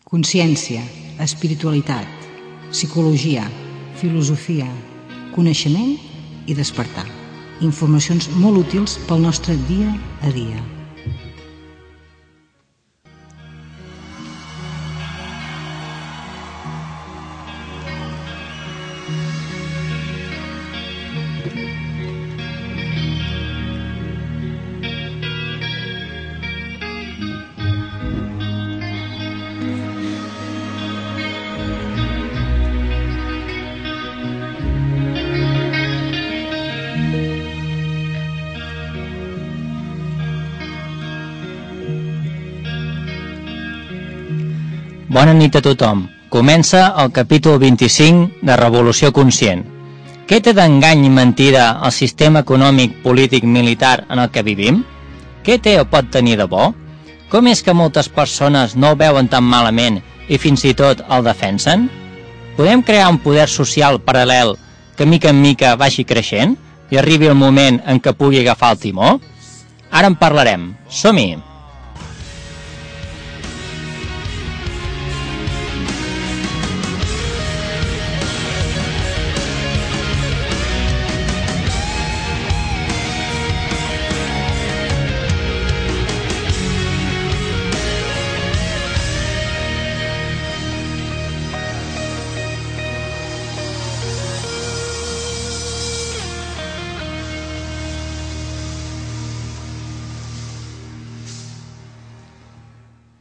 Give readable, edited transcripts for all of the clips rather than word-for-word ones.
Consciència, espiritualitat, psicologia, filosofia, coneixement i despertar. Informacions molt útils pel nostre dia a dia. Bona nit a tothom. Comença el capítol 25 de Revolució Conscient. Què té d'engany i mentida el sistema econòmic, polític, militar en el que vivim? Què té o pot tenir de bo? Com és que moltes persones no el veuen tan malament i fins i tot el defensen? Podem crear un poder social paral·lel que mica en mica vagi creixent i arribi el moment en què pugui agafar el timó? Ara en parlarem. Som-hi!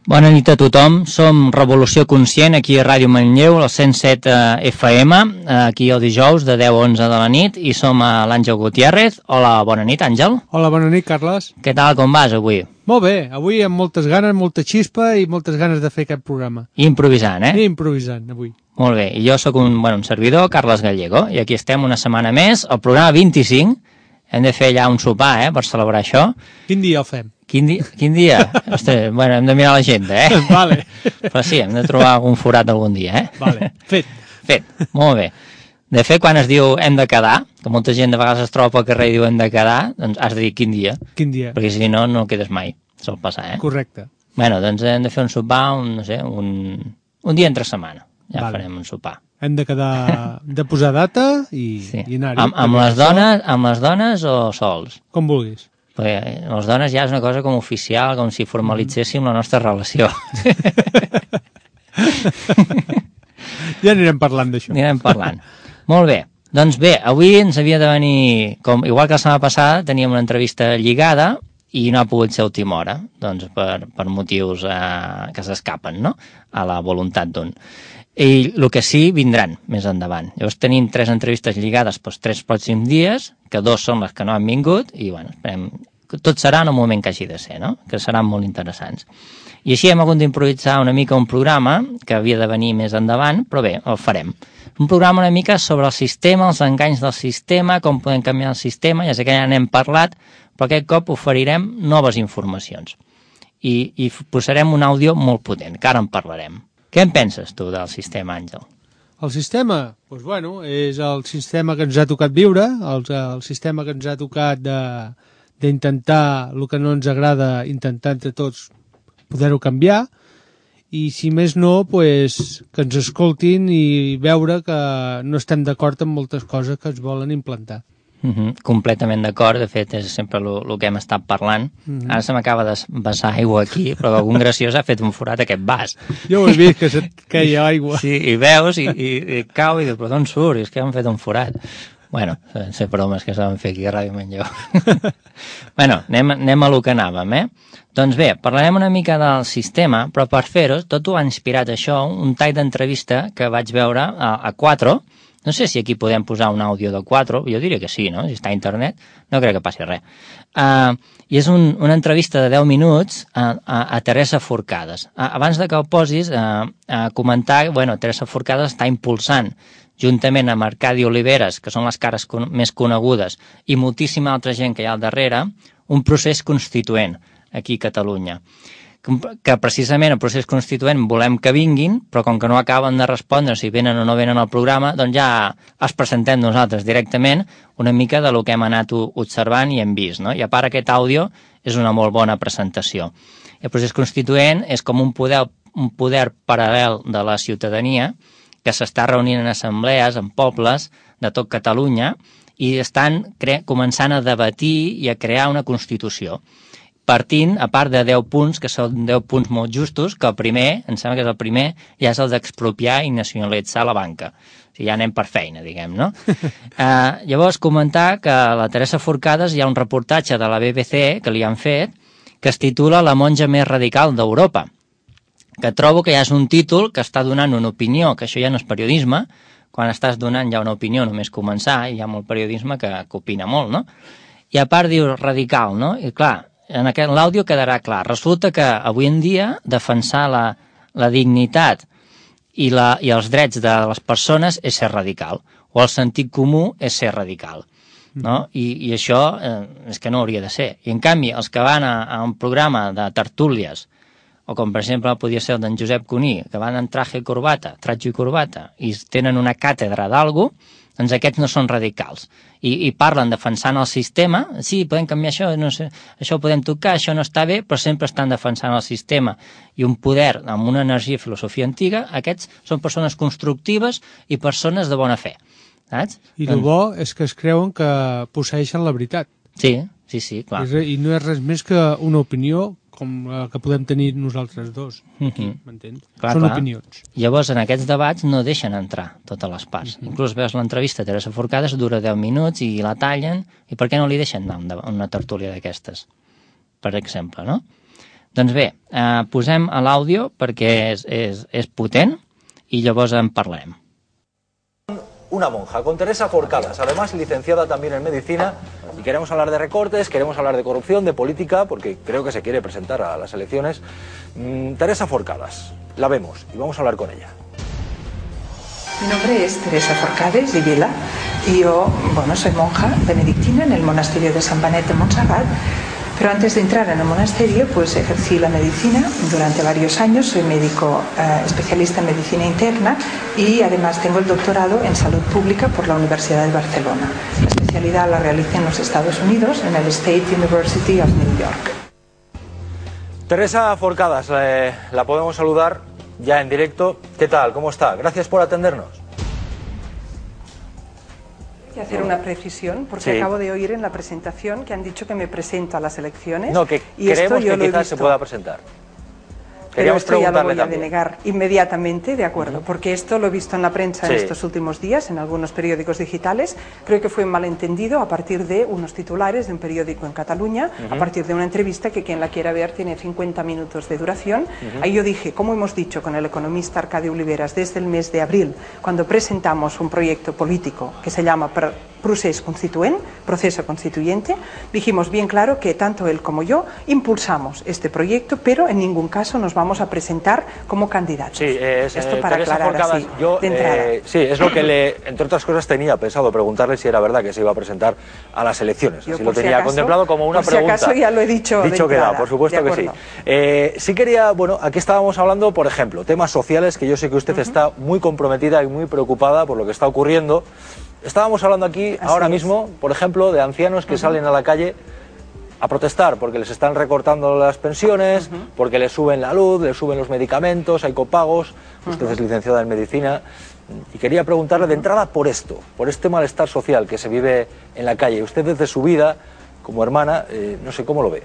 Bona nit a tothom, som Revolució Conscient aquí a Ràdio Manlleu, al 107 FM, aquí el dijous de 10 a 11 de la nit, i som a l'Àngel Gutiérrez. Hola, bona nit, Àngel. Hola, bona nit, Carles. Què tal, com vas avui? Molt bé, avui amb moltes ganes, molta xispa i moltes ganes de fer aquest programa. Improvisant, eh? Improvisant, avui. Molt bé, i jo sóc un servidor, Carles Gallego, i aquí estem una setmana més, el programa 25, hem de fer allà un sopar, per celebrar això. Quin dia el fem? Quin dia? Ostres, bueno, hem de mirar l'agenda, Vale. Però sí, hem de trobar algun forat algun dia, Vale, fet, molt bé. De fet, quan es diu hem de quedar, que molta gent de vegades es troba pel carrer i diu hem de quedar, doncs has de dir quin dia. Quin dia. Perquè si no, no quedes mai. Sol passar, Correcte. Bueno, doncs hem de fer un sopar, un dia entre setmana. Ja farem un sopar. Hem de quedar, de posar data i anar-hi. Amb les dones o sols? Com vulguis. Perquè les dones ja és una cosa com oficial, com si formalitzéssim la nostra relació. Ja anirem parlant d'això. Anirem parlant. Molt bé. Doncs bé, avui ens havia de venir, igual que la setmana passada, teníem una entrevista lligada i no ha pogut ser a última hora, doncs per motius que s'escapen, no?, a la voluntat d'un. I el que sí, vindran més endavant. Llavors tenim 3 entrevistes lligades pels 3 pròxims dies, que 2 són les que no han vingut, i bueno, esperem que tot serà en el moment que hagi de ser, no?, que seran molt interessants. I així hem hagut d'improvisar una mica un programa que havia de venir més endavant, però bé, el farem. Un programa una mica sobre el sistema, els enganys del sistema, com podem canviar el sistema, ja sé que ja n'hem parlat, però aquest cop oferirem noves informacions. I posarem un àudio molt potent, que ara en parlarem. Què en penses tu del sistema, Àngel? El sistema, doncs bueno, és el sistema que ens ha tocat viure, el sistema que ens ha tocat d'intentar el que no ens agrada, intentar entre tots poder-ho canviar, i si més no, pues, que ens escoltin i veure que no estem d'acord amb moltes coses que ens volen implantar. Completament d'acord, de fet és sempre el que hem estat parlant. Ara se m'acaba de vessar aigua aquí, però algun graciós ha fet un forat aquest vas. Jo ho he vist, que se't queia aigua. Sí, i veus, i cau, i dius, però d'on surt? És que han fet un forat. Bueno, ser bromes que s'han fet aquí a Ràdio Manlleu. Bueno, anem a lo que anàvem, Doncs bé, parlarem una mica del sistema, però per fer-ho, tot ho ha inspirat això, un tall d'entrevista que vaig veure a 4. No sé si aquí podem posar un àudio de 4, jo diria que sí, no? Si està a internet, no crec que passi res. I és una entrevista de 10 minuts a Teresa Forcades. Abans de que el posis, comentar, bueno, Teresa Forcades està impulsant, juntament amb Arcadi Oliveres, que són les cares més conegudes, i moltíssima altra gent que hi ha al darrere, un procés constituent aquí a Catalunya. Que precisament el procés constituent volem que vinguin, però com que no acaben de respondre si venen o no venen al programa, doncs ja els presentem nosaltres directament una mica de lo que hem anat observant i hem vist, no? I a part aquest àudio és una molt bona presentació. El procés constituent és com un un poder paral·lel de la ciutadania que s'està reunint en assemblees, en pobles de tot Catalunya, i estan començant a debatir i a crear una Constitució, partint, a part de 10 punts, que són 10 punts molt justos, que el primer, em sembla que és el primer, ja és el d'expropiar i nacionalitzar la banca. O sigui, ja anem per feina, diguem, no? Llavors, comentar que a la Teresa Forcades hi ha un reportatge de la BBC que li han fet, que es titula La monja més radical d'Europa, que trobo que ja és un títol que està donant una opinió, que això ja no és periodisme, quan estàs donant ja una opinió només començar, i hi ha molt periodisme que opina molt, no? I a part diu radical, no? I clar, en l'àudio quedarà clar. Resulta que avui en dia defensar la dignitat i els drets de les persones és ser radical, o el sentit comú és ser radical, no? I això és que no hauria de ser. I en canvi, els que van a un programa de tertúlies, o com per exemple podia ser el d'en Josep Cuní, que van en traje i corbata, i tenen una càtedra d'algú, doncs aquests no són radicals. I parlen defensant el sistema, sí, podem canviar això, no sé, això ho podem tocar, això no està bé, però sempre estan defensant el sistema i un poder amb una energia i filosofia antiga. Aquests són persones constructives i persones de bona fe, saps? I el bo és que es creuen que posseeixen la veritat. Sí, clar. I no és res més que una opinió com la que podem tenir nosaltres dos, aquí, m'entens? Són opinions. Llavors, en aquests debats no deixen entrar totes les parts. Inclús veus l'entrevista a Teresa Forcades, dura 10 minuts i la tallen, i per què no li deixen anar a una tertúlia d'aquestes? Per exemple, no? Doncs bé, posem a l'àudio perquè és potent i llavors en parlarem. Una monja, con Teresa Forcades, además licenciada también en medicina, y queremos hablar de recortes, queremos hablar de corrupción, de política, porque creo que se quiere presentar a las elecciones. Teresa Forcades, la vemos y vamos a hablar con ella. Mi nombre es Teresa Forcades y Vila, y yo, soy monja benedictina en el monasterio de San Benet de Montserrat. Pero antes de entrar en el monasterio, pues ejercí la medicina durante varios años. Soy médico especialista en medicina interna y además tengo el doctorado en salud pública por la Universidad de Barcelona. La especialidad la realicé en los Estados Unidos, en el State University of New York. Teresa Forcades, la podemos saludar ya en directo. ¿Qué tal? ¿Cómo está? Gracias por atendernos. Hacer una precisión, porque sí, acabo de oír en la presentación que han dicho que me presento a las elecciones. No, que creemos que quizás se pueda presentar. Pero esto ya lo voy a denegar inmediatamente, de acuerdo, porque esto lo he visto en la prensa en estos últimos días, en algunos periódicos digitales. Creo que fue un malentendido a partir de unos titulares de un periódico en Cataluña, a partir de una entrevista que quien la quiera ver tiene 50 minutos de duración. Ahí yo dije, como hemos dicho con el economista Arcadio Oliveras desde el mes de abril, cuando presentamos un proyecto político que se llama Procés Constituent, proceso constituyente, dijimos bien claro que tanto él como yo impulsamos este proyecto, pero en ningún caso nos vamos a presentar como candidatos. Sí, esto para Teresa aclarar Forcades, así, yo, de entrada. Sí, es lo que entre otras cosas tenía pensado preguntarle si era verdad que se iba a presentar a las elecciones. Yo, así lo tenía contemplado como una pregunta. Por si acaso ya lo he dicho de entrada. Queda, por supuesto que sí. Sí quería, aquí estábamos hablando, por ejemplo, temas sociales, que yo sé que usted está muy comprometida y muy preocupada por lo que está ocurriendo. Estábamos hablando aquí ahora mismo, por ejemplo, de ancianos que salen a la calle a protestar porque les están recortando las pensiones, porque les suben la luz, les suben los medicamentos, hay copagos. Usted es licenciada en medicina y quería preguntarle de entrada por esto, por este malestar social que se vive en la calle. Usted desde su vida como hermana, no sé cómo lo ve.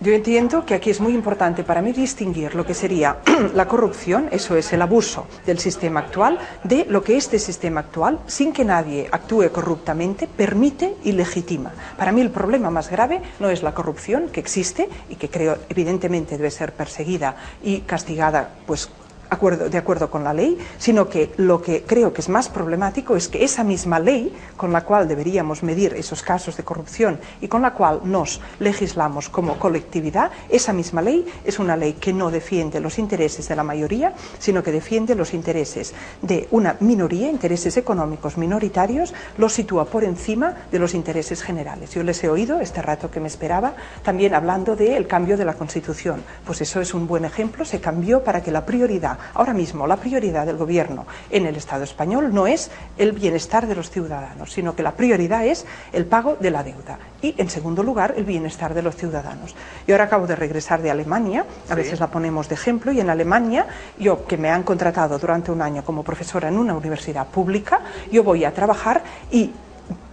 Yo entiendo que aquí es muy importante para mí distinguir lo que sería la corrupción, eso es el abuso del sistema actual, de lo que este sistema actual, sin que nadie actúe corruptamente, permite y legitima. Para mí el problema más grave no es la corrupción, que existe y que creo evidentemente debe ser perseguida y castigada, pues de acuerdo con la ley, sino que lo que creo que es más problemático es que esa misma ley con la cual deberíamos medir esos casos de corrupción y con la cual nos legislamos como colectividad, esa misma ley es una ley que no defiende los intereses de la mayoría, sino que defiende los intereses de una minoría, intereses económicos minoritarios, los sitúa por encima de los intereses generales. Yo les he oído este rato que me esperaba también hablando del cambio de la Constitución. Pues eso es un buen ejemplo, se cambió para que la prioridad deuda. Ahora mismo la prioridad del gobierno en el Estado español no es el bienestar de los ciudadanos, sino que la prioridad es el pago de la deuda y, en segundo lugar, el bienestar de los ciudadanos. Yo ahora acabo de regresar de Alemania, a veces la ponemos de ejemplo, y en Alemania, yo que me han contratado durante un año como profesora en una universidad pública, yo voy a trabajar y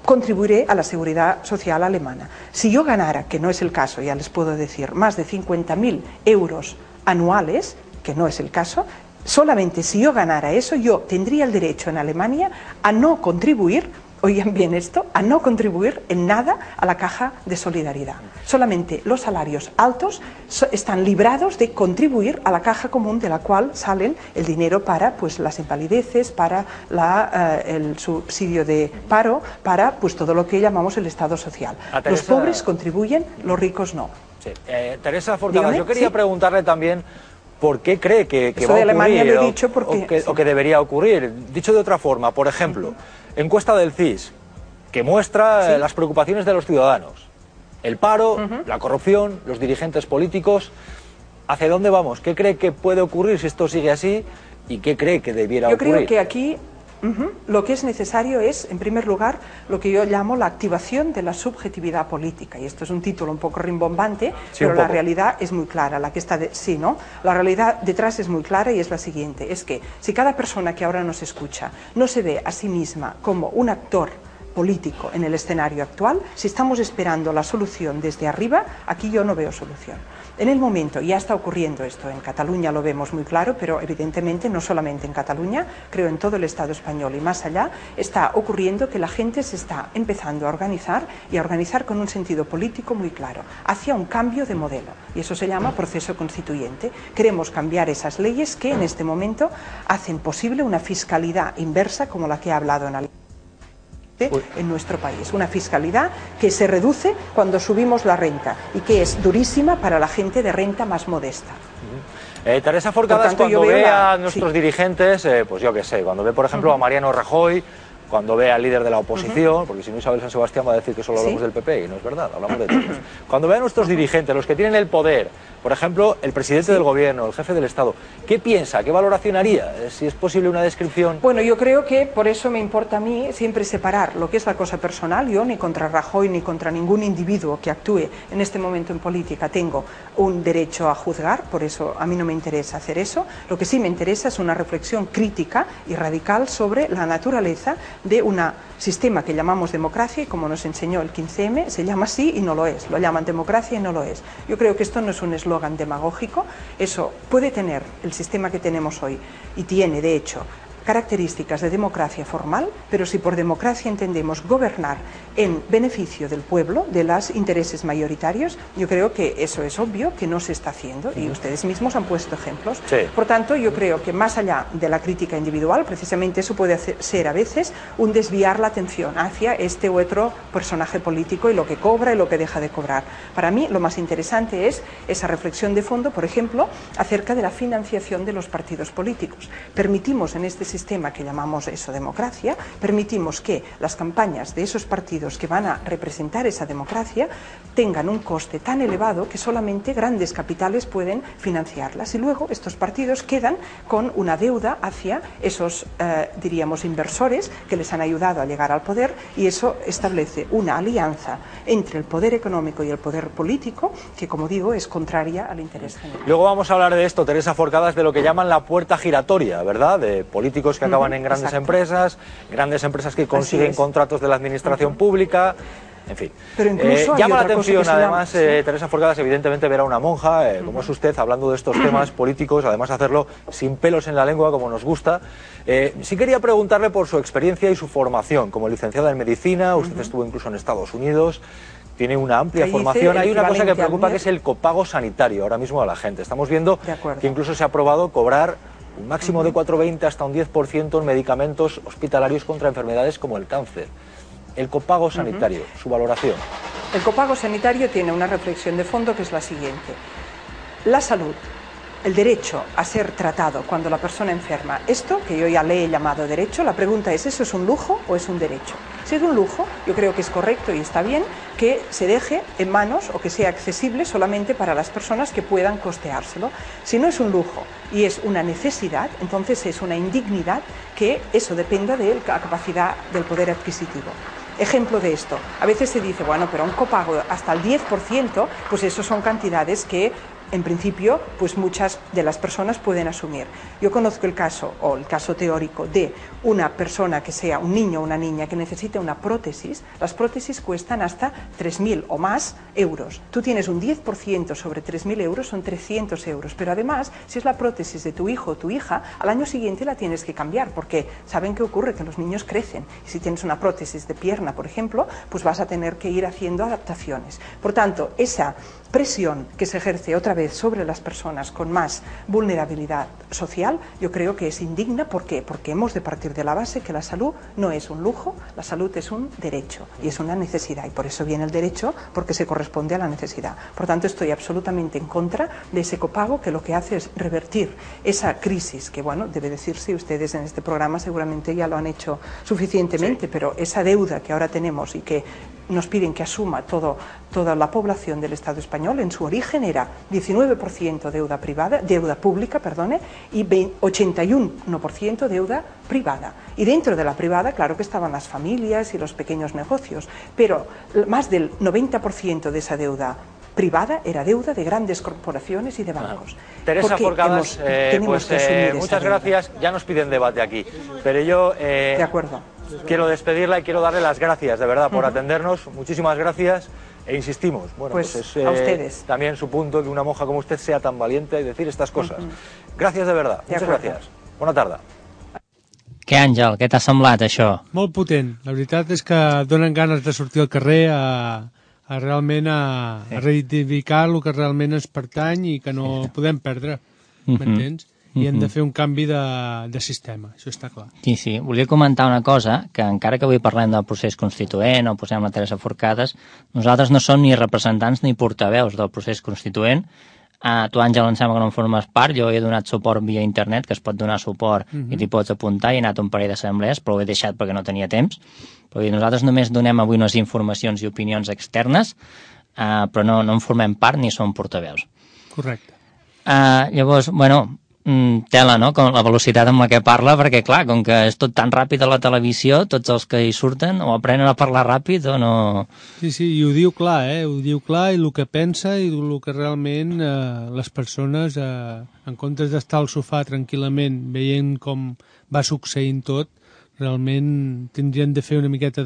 contribuiré a la seguridad social alemana. Si yo ganara, que no es el caso, ya les puedo decir, más de 50.000 euros anuales, que no es el caso, solamente si yo ganara eso, yo tendría el derecho en Alemania a no contribuir, oigan bien esto, a no contribuir en nada a la caja de solidaridad. Solamente los salarios altos están librados de contribuir a la caja común de la cual salen el dinero para pues, las invalideces, para el subsidio de paro, para pues, todo lo que llamamos el Estado social. Los pobres contribuyen, los ricos no. Sí. Teresa Forcada, yo quería preguntarle también por qué cree que va a ocurrir Alemania lo he dicho porque, o que debería ocurrir. Dicho de otra forma, por ejemplo, encuesta del CIS que muestra las preocupaciones de los ciudadanos. El paro, la corrupción, los dirigentes políticos. ¿Hacia dónde vamos? ¿Qué cree que puede ocurrir si esto sigue así? ¿Y qué cree que debiera ocurrir? Yo creo que aquí lo que es necesario es, en primer lugar, lo que yo llamo la activación de la subjetividad política. Y esto es un título un poco rimbombante, pero la realidad es muy clara. La que está la realidad detrás es muy clara y es la siguiente. Es que si cada persona que ahora nos escucha no se ve a sí misma como un actor político en el escenario actual, si estamos esperando la solución desde arriba, aquí yo no veo solución. En el momento, ya está ocurriendo esto, en Cataluña lo vemos muy claro, pero evidentemente no solamente en Cataluña, creo en todo el Estado español y más allá, está ocurriendo que la gente se está empezando a organizar y a organizar con un sentido político muy claro, hacia un cambio de modelo. Y eso se llama proceso constituyente. Queremos cambiar esas leyes que en este momento hacen posible una fiscalidad inversa como la que he hablado en nuestro país, una fiscalidad que se reduce cuando subimos la renta y que es durísima para la gente de renta más modesta. Teresa Forcada, cuando ve a nuestros dirigentes, pues yo qué sé, cuando ve por ejemplo a Mariano Rajoy, cuando ve al líder de la oposición, porque si no Isabel San Sebastián va a decir que solo hablamos del PP, y no es verdad, hablamos de todos. Cuando ve a nuestros dirigentes, los que tienen el poder, por ejemplo, el presidente del gobierno, el jefe del Estado, ¿qué piensa? ¿Qué valoración haría? Si es posible una descripción. Bueno, yo creo que por eso me importa a mí siempre separar lo que es la cosa personal. Yo ni contra Rajoy ni contra ningún individuo que actúe en este momento en política tengo un derecho a juzgar, por eso a mí no me interesa hacer eso. Lo que sí me interesa es una reflexión crítica y radical sobre la naturaleza de un sistema que llamamos democracia y como nos enseñó el 15M, se llama así y no lo es, lo llaman democracia y no lo es. Yo creo que esto no es un eslogan demagógico, eso puede tener el sistema que tenemos hoy y tiene de hecho características de democracia formal, pero si por democracia entendemos gobernar en beneficio del pueblo, de los intereses mayoritarios, yo creo que eso es obvio que no se está haciendo y ustedes mismos han puesto ejemplos. Por tanto, yo creo que más allá de la crítica individual, precisamente eso puede ser a veces un desviar la atención hacia este u otro personaje político y lo que cobra y lo que deja de cobrar. Para mí lo más interesante es esa reflexión de fondo, por ejemplo, acerca de la financiación de los partidos políticos. Permitimos en este sistema que llamamos eso democracia, permitimos que las campañas de esos partidos que van a representar esa democracia tengan un coste tan elevado que solamente grandes capitales pueden financiarlas y luego estos partidos quedan con una deuda hacia esos, diríamos, inversores que les han ayudado a llegar al poder y eso establece una alianza entre el poder económico y el poder político que, como digo, es contraria al interés general. Luego vamos a hablar de esto, Teresa Forcada, de lo que llaman la puerta giratoria, ¿verdad? De políticos que acaban en grandes empresas que consiguen contratos de la administración pública, en fin. Pero incluso llama la atención, además, Teresa Forcada, evidentemente ver a una monja, como es usted, hablando de estos temas políticos, además hacerlo sin pelos en la lengua, como nos gusta. Sí quería preguntarle por su experiencia y su formación. Como licenciada en medicina, usted estuvo incluso en Estados Unidos, tiene una amplia formación. Hay una cosa que preocupa, que es el copago sanitario ahora mismo a la gente. Estamos viendo que incluso se ha aprobado cobrar un máximo de 4,20 hasta un 10% en medicamentos hospitalarios contra enfermedades como el cáncer. El copago sanitario, su valoración. El copago sanitario tiene una reflexión de fondo que es la siguiente. La salud, el derecho a ser tratado cuando la persona enferma, esto que yo ya le he llamado derecho, la pregunta es, ¿eso es un lujo o es un derecho? Si es un lujo, yo creo que es correcto y está bien que se deje en manos o que sea accesible solamente para las personas que puedan costeárselo. Si no es un lujo y es una necesidad, entonces es una indignidad que eso dependa de la capacidad del poder adquisitivo. Ejemplo de esto, a veces se dice, bueno, pero un copago hasta el 10%, pues eso son cantidades que en principio, pues muchas de las personas pueden asumir. Yo conozco el caso, o el caso teórico, de una persona que sea un niño o una niña que necesite una prótesis. Las prótesis cuestan hasta 3.000 o más euros. Tú tienes un 10% sobre 3.000 euros, son 300 euros. Pero además, si es la prótesis de tu hijo o tu hija, al año siguiente la tienes que cambiar, porque ¿saben qué ocurre? Que los niños crecen. Y si tienes una prótesis de pierna, por ejemplo, pues vas a tener que ir haciendo adaptaciones. Por tanto, esa presión que se ejerce otra vez sobre las personas con más vulnerabilidad social, yo creo que es indigna. ¿Por qué? Porque hemos de partir de la base que la salud no es un lujo, la salud es un derecho y es una necesidad, y por eso viene el derecho, porque se corresponde a la necesidad. Por tanto, estoy absolutamente en contra de ese copago, que lo que hace es revertir esa crisis, que bueno, debe decirse, ustedes en este programa seguramente ya lo han hecho suficientemente, sí, pero esa deuda que ahora tenemos y que nos piden que asuma toda la población del Estado español, en su origen era 19% deuda pública, y 81% deuda privada. Y dentro de la privada, claro que estaban las familias y los pequeños negocios, pero más del 90% de esa deuda privada era deuda de grandes corporaciones y de bancos. Teresa Forcadas, muchas gracias. Ya nos piden debate aquí, pero yo de acuerdo. Quiero despedirla y quiero darle las gracias, de verdad, por atendernos. Muchísimas gracias e insistimos. Bueno, pues es a ustedes. También su punto que una monja como usted sea tan valiente y decir estas cosas. Gracias de verdad. Muchas gracias. Bona tarda. Què, Àngel, què t'ha semblat, això? Molt potent. La veritat és que donen ganes de sortir al carrer a realment reivindicar el que realment ens pertany i que no podem perdre, m'entens? I hem de fer un canvi de sistema, això està clar. Sí, sí. Volia comentar una cosa, que encara que avui parlem del procés constituent o posem la Teresa Forcades, nosaltres no som ni representants ni portaveus del procés constituent. Tu, Àngel, em sembla que no en formes part. Jo he donat suport via internet, que es pot donar suport i t'hi pots apuntar. He anat a un parell d'assemblees, però ho he deixat perquè no tenia temps. Però nosaltres només donem avui unes informacions i opinions externes, però no en formem part ni som portaveus. Correcte. Llavors, bueno, tela, no?, com la velocitat amb la que parla, perquè, clar, com que és tot tan ràpid a la televisió, tots els que hi surten o aprenen a parlar ràpid o no... Sí, sí, i ho diu clar, ho diu clar, i el que pensa i el que realment les persones, en comptes d'estar al sofà tranquil·lament veient com va succeint tot, realment tindrien de fer una miqueta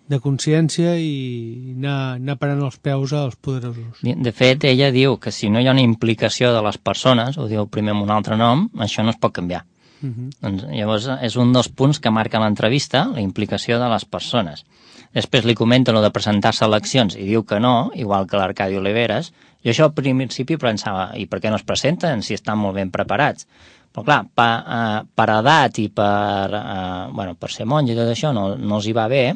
de consciència i anar parant els peus als poderosos. De fet, ella diu que si no hi ha una implicació de les persones, ho diu primer amb un altre nom, això no es pot canviar. Doncs, llavors, és un dels punts que marca l'entrevista, la implicació de les persones. Després li comenta lo de presentar-se a eleccions i diu que no, igual que l'Arcadi Oliveres. Jo això al principi pensava, i per què no es presenten si estan molt ben preparats? Però clar, per edat i per ser monja i tot això no els hi va bé,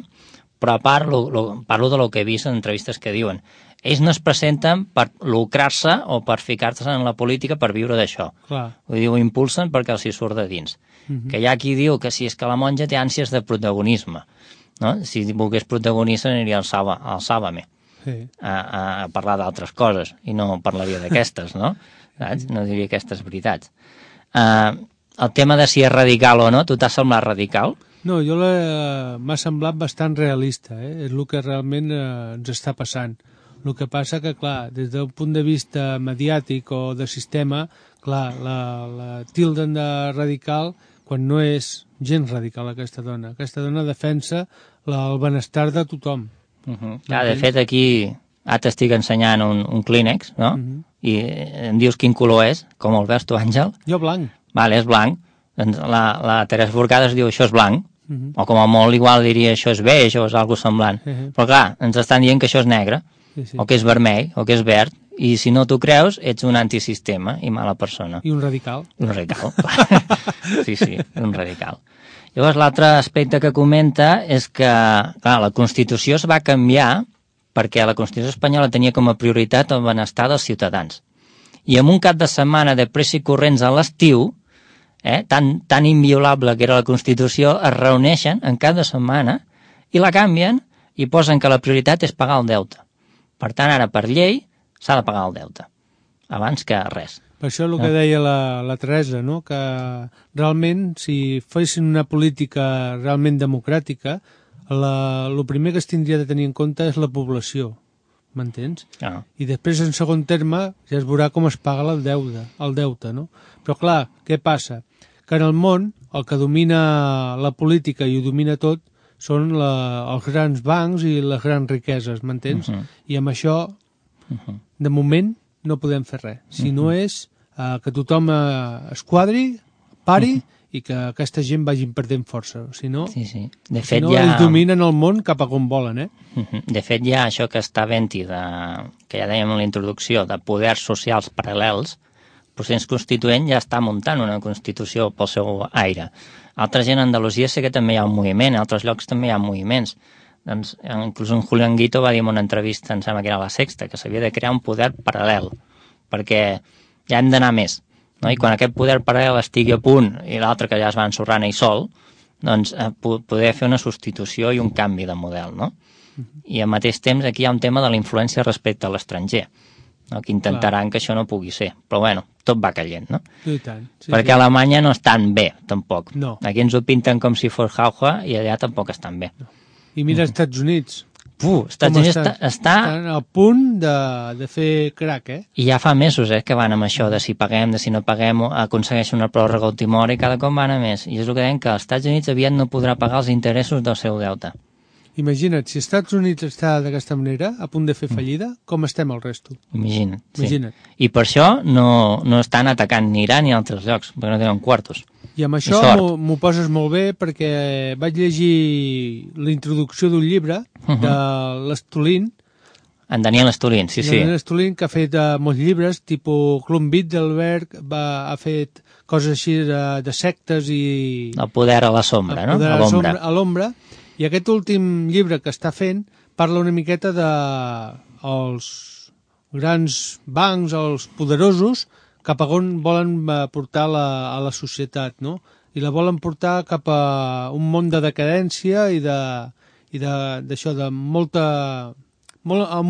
però parlo de lo que he vist en entrevistes que diuen ells no es presenten per lucrar-se o per ficar-se en la política per viure d'això. Ho impulsen perquè els hi surt de dins. Que hi ha qui diu que si és que la monja té ànsies de protagonisme, no? Si volgués protagonista aniria al Sálvame a parlar d'altres coses i no parlaria d'aquestes, no? No diria aquestes veritats. El tema de si és radical o no, tu t'has semblat radical? No, jo m'ha semblat bastant realista, és el que realment ens està passant. El que passa que, clar, des d'un punt de vista mediàtic o de sistema, clar, la tilden de radical quan no és gens radical aquesta dona. Aquesta dona defensa el benestar de tothom. De fet, aquí t'estic ensenyant un Kleenex, no? I em dius quin color és, com el veus tu, Àngel? Jo blanc. Vale, és blanc. La Teresa Forcades diu això és blanc. O com a molt igual diria això és beix o és alguna semblant. Però clar, ens estan dient que això és negre, o que és vermell, o que és verd, i si no t'ho creus ets un antisistema i mala persona. I un radical. Un radical. Sí, un radical. Llavors l'altre aspecte que comenta és que, clar, la Constitució es va canviar perquè la Constitució espanyola tenia com a prioritat el benestar dels ciutadans. I en un cap de setmana de pressa i corrents a l'estiu, tan inviolable que era la Constitució, es reuneixen en cap de setmana i la canvien i posen que la prioritat és pagar el deute. Per tant, ara, per llei, s'ha de pagar el deute, abans que res. Per això el que deia la Teresa, no? Que realment, si fessin una política realment democràtica, el primer que es tindria de tenir en compte és la població, m'entens? I després, en segon terme, ja es veurà com es paga el deute, no? Però clar, què passa? Que en el món el que domina la política i ho domina tot són els grans bancs i les grans riqueses, m'entens? I amb això, de moment, no podem fer res. Si no és que tothom es quadri, pari, i que aquesta gent vagin perdent força. Si no, de fet, ells dominen el món cap a on volen, De fet, hi ha això que està havent-hi, que ja dèiem en la introducció, de poders socials paral·lels. El procés constituent ja està muntant una constitució pel seu aire. Altra gent a Andalusia sé que també hi ha un moviment, a altres llocs també hi ha moviments. Doncs, inclús en Julián Guito va dir en una entrevista, em sembla que era La Sexta, que s'havia de crear un poder paral·lel, perquè ja hem d'anar més. No? I quan aquest poder paral·lel estigui a punt i l'altre que ja es va ensorrant ell sol, doncs poder fer una substitució i un canvi de model. No? I al mateix temps aquí hi ha un tema de la influència respecte a l'estranger, no? Que intentaran que això no pugui ser. Però bueno, tot va caient, no? I tant. Perquè a Alemanya no estan bé, tampoc. No. Aquí ens ho pinten com si fos jauja i allà tampoc estan bé. I mira els Estats Units. Estats Units està... Estan al punt de fer crack, I ja fa mesos que van amb això de si paguem, de si no paguem, aconsegueixen una pròrroga a última hora i cada cop van a més. I és el que deien, que els Estats Units aviat no podrà pagar els interessos del seu deute. Imagina't, si els Estats Units està d'aquesta manera, a punt de fer fallida, com estem el resto? Imagina't. Imagina't. I per això no estan atacant ni Iran ni altres llocs, perquè no tenen quartos. I amb això m'ho poses molt bé perquè vaig llegir la introducció d'un llibre de l'Estolín. En Daniel Estolín, sí. Daniel Estolín, que ha fet molts llibres, tipus Club Bilderberg, ha fet coses així de sectes i... El poder a la sombra, no? El poder a l'ombra. I aquest últim llibre que està fent parla una miqueta dels grans bancs, els poderosos, cap a on volen portar a la societat, no? I la volen portar cap a un món de decadència i d'això, amb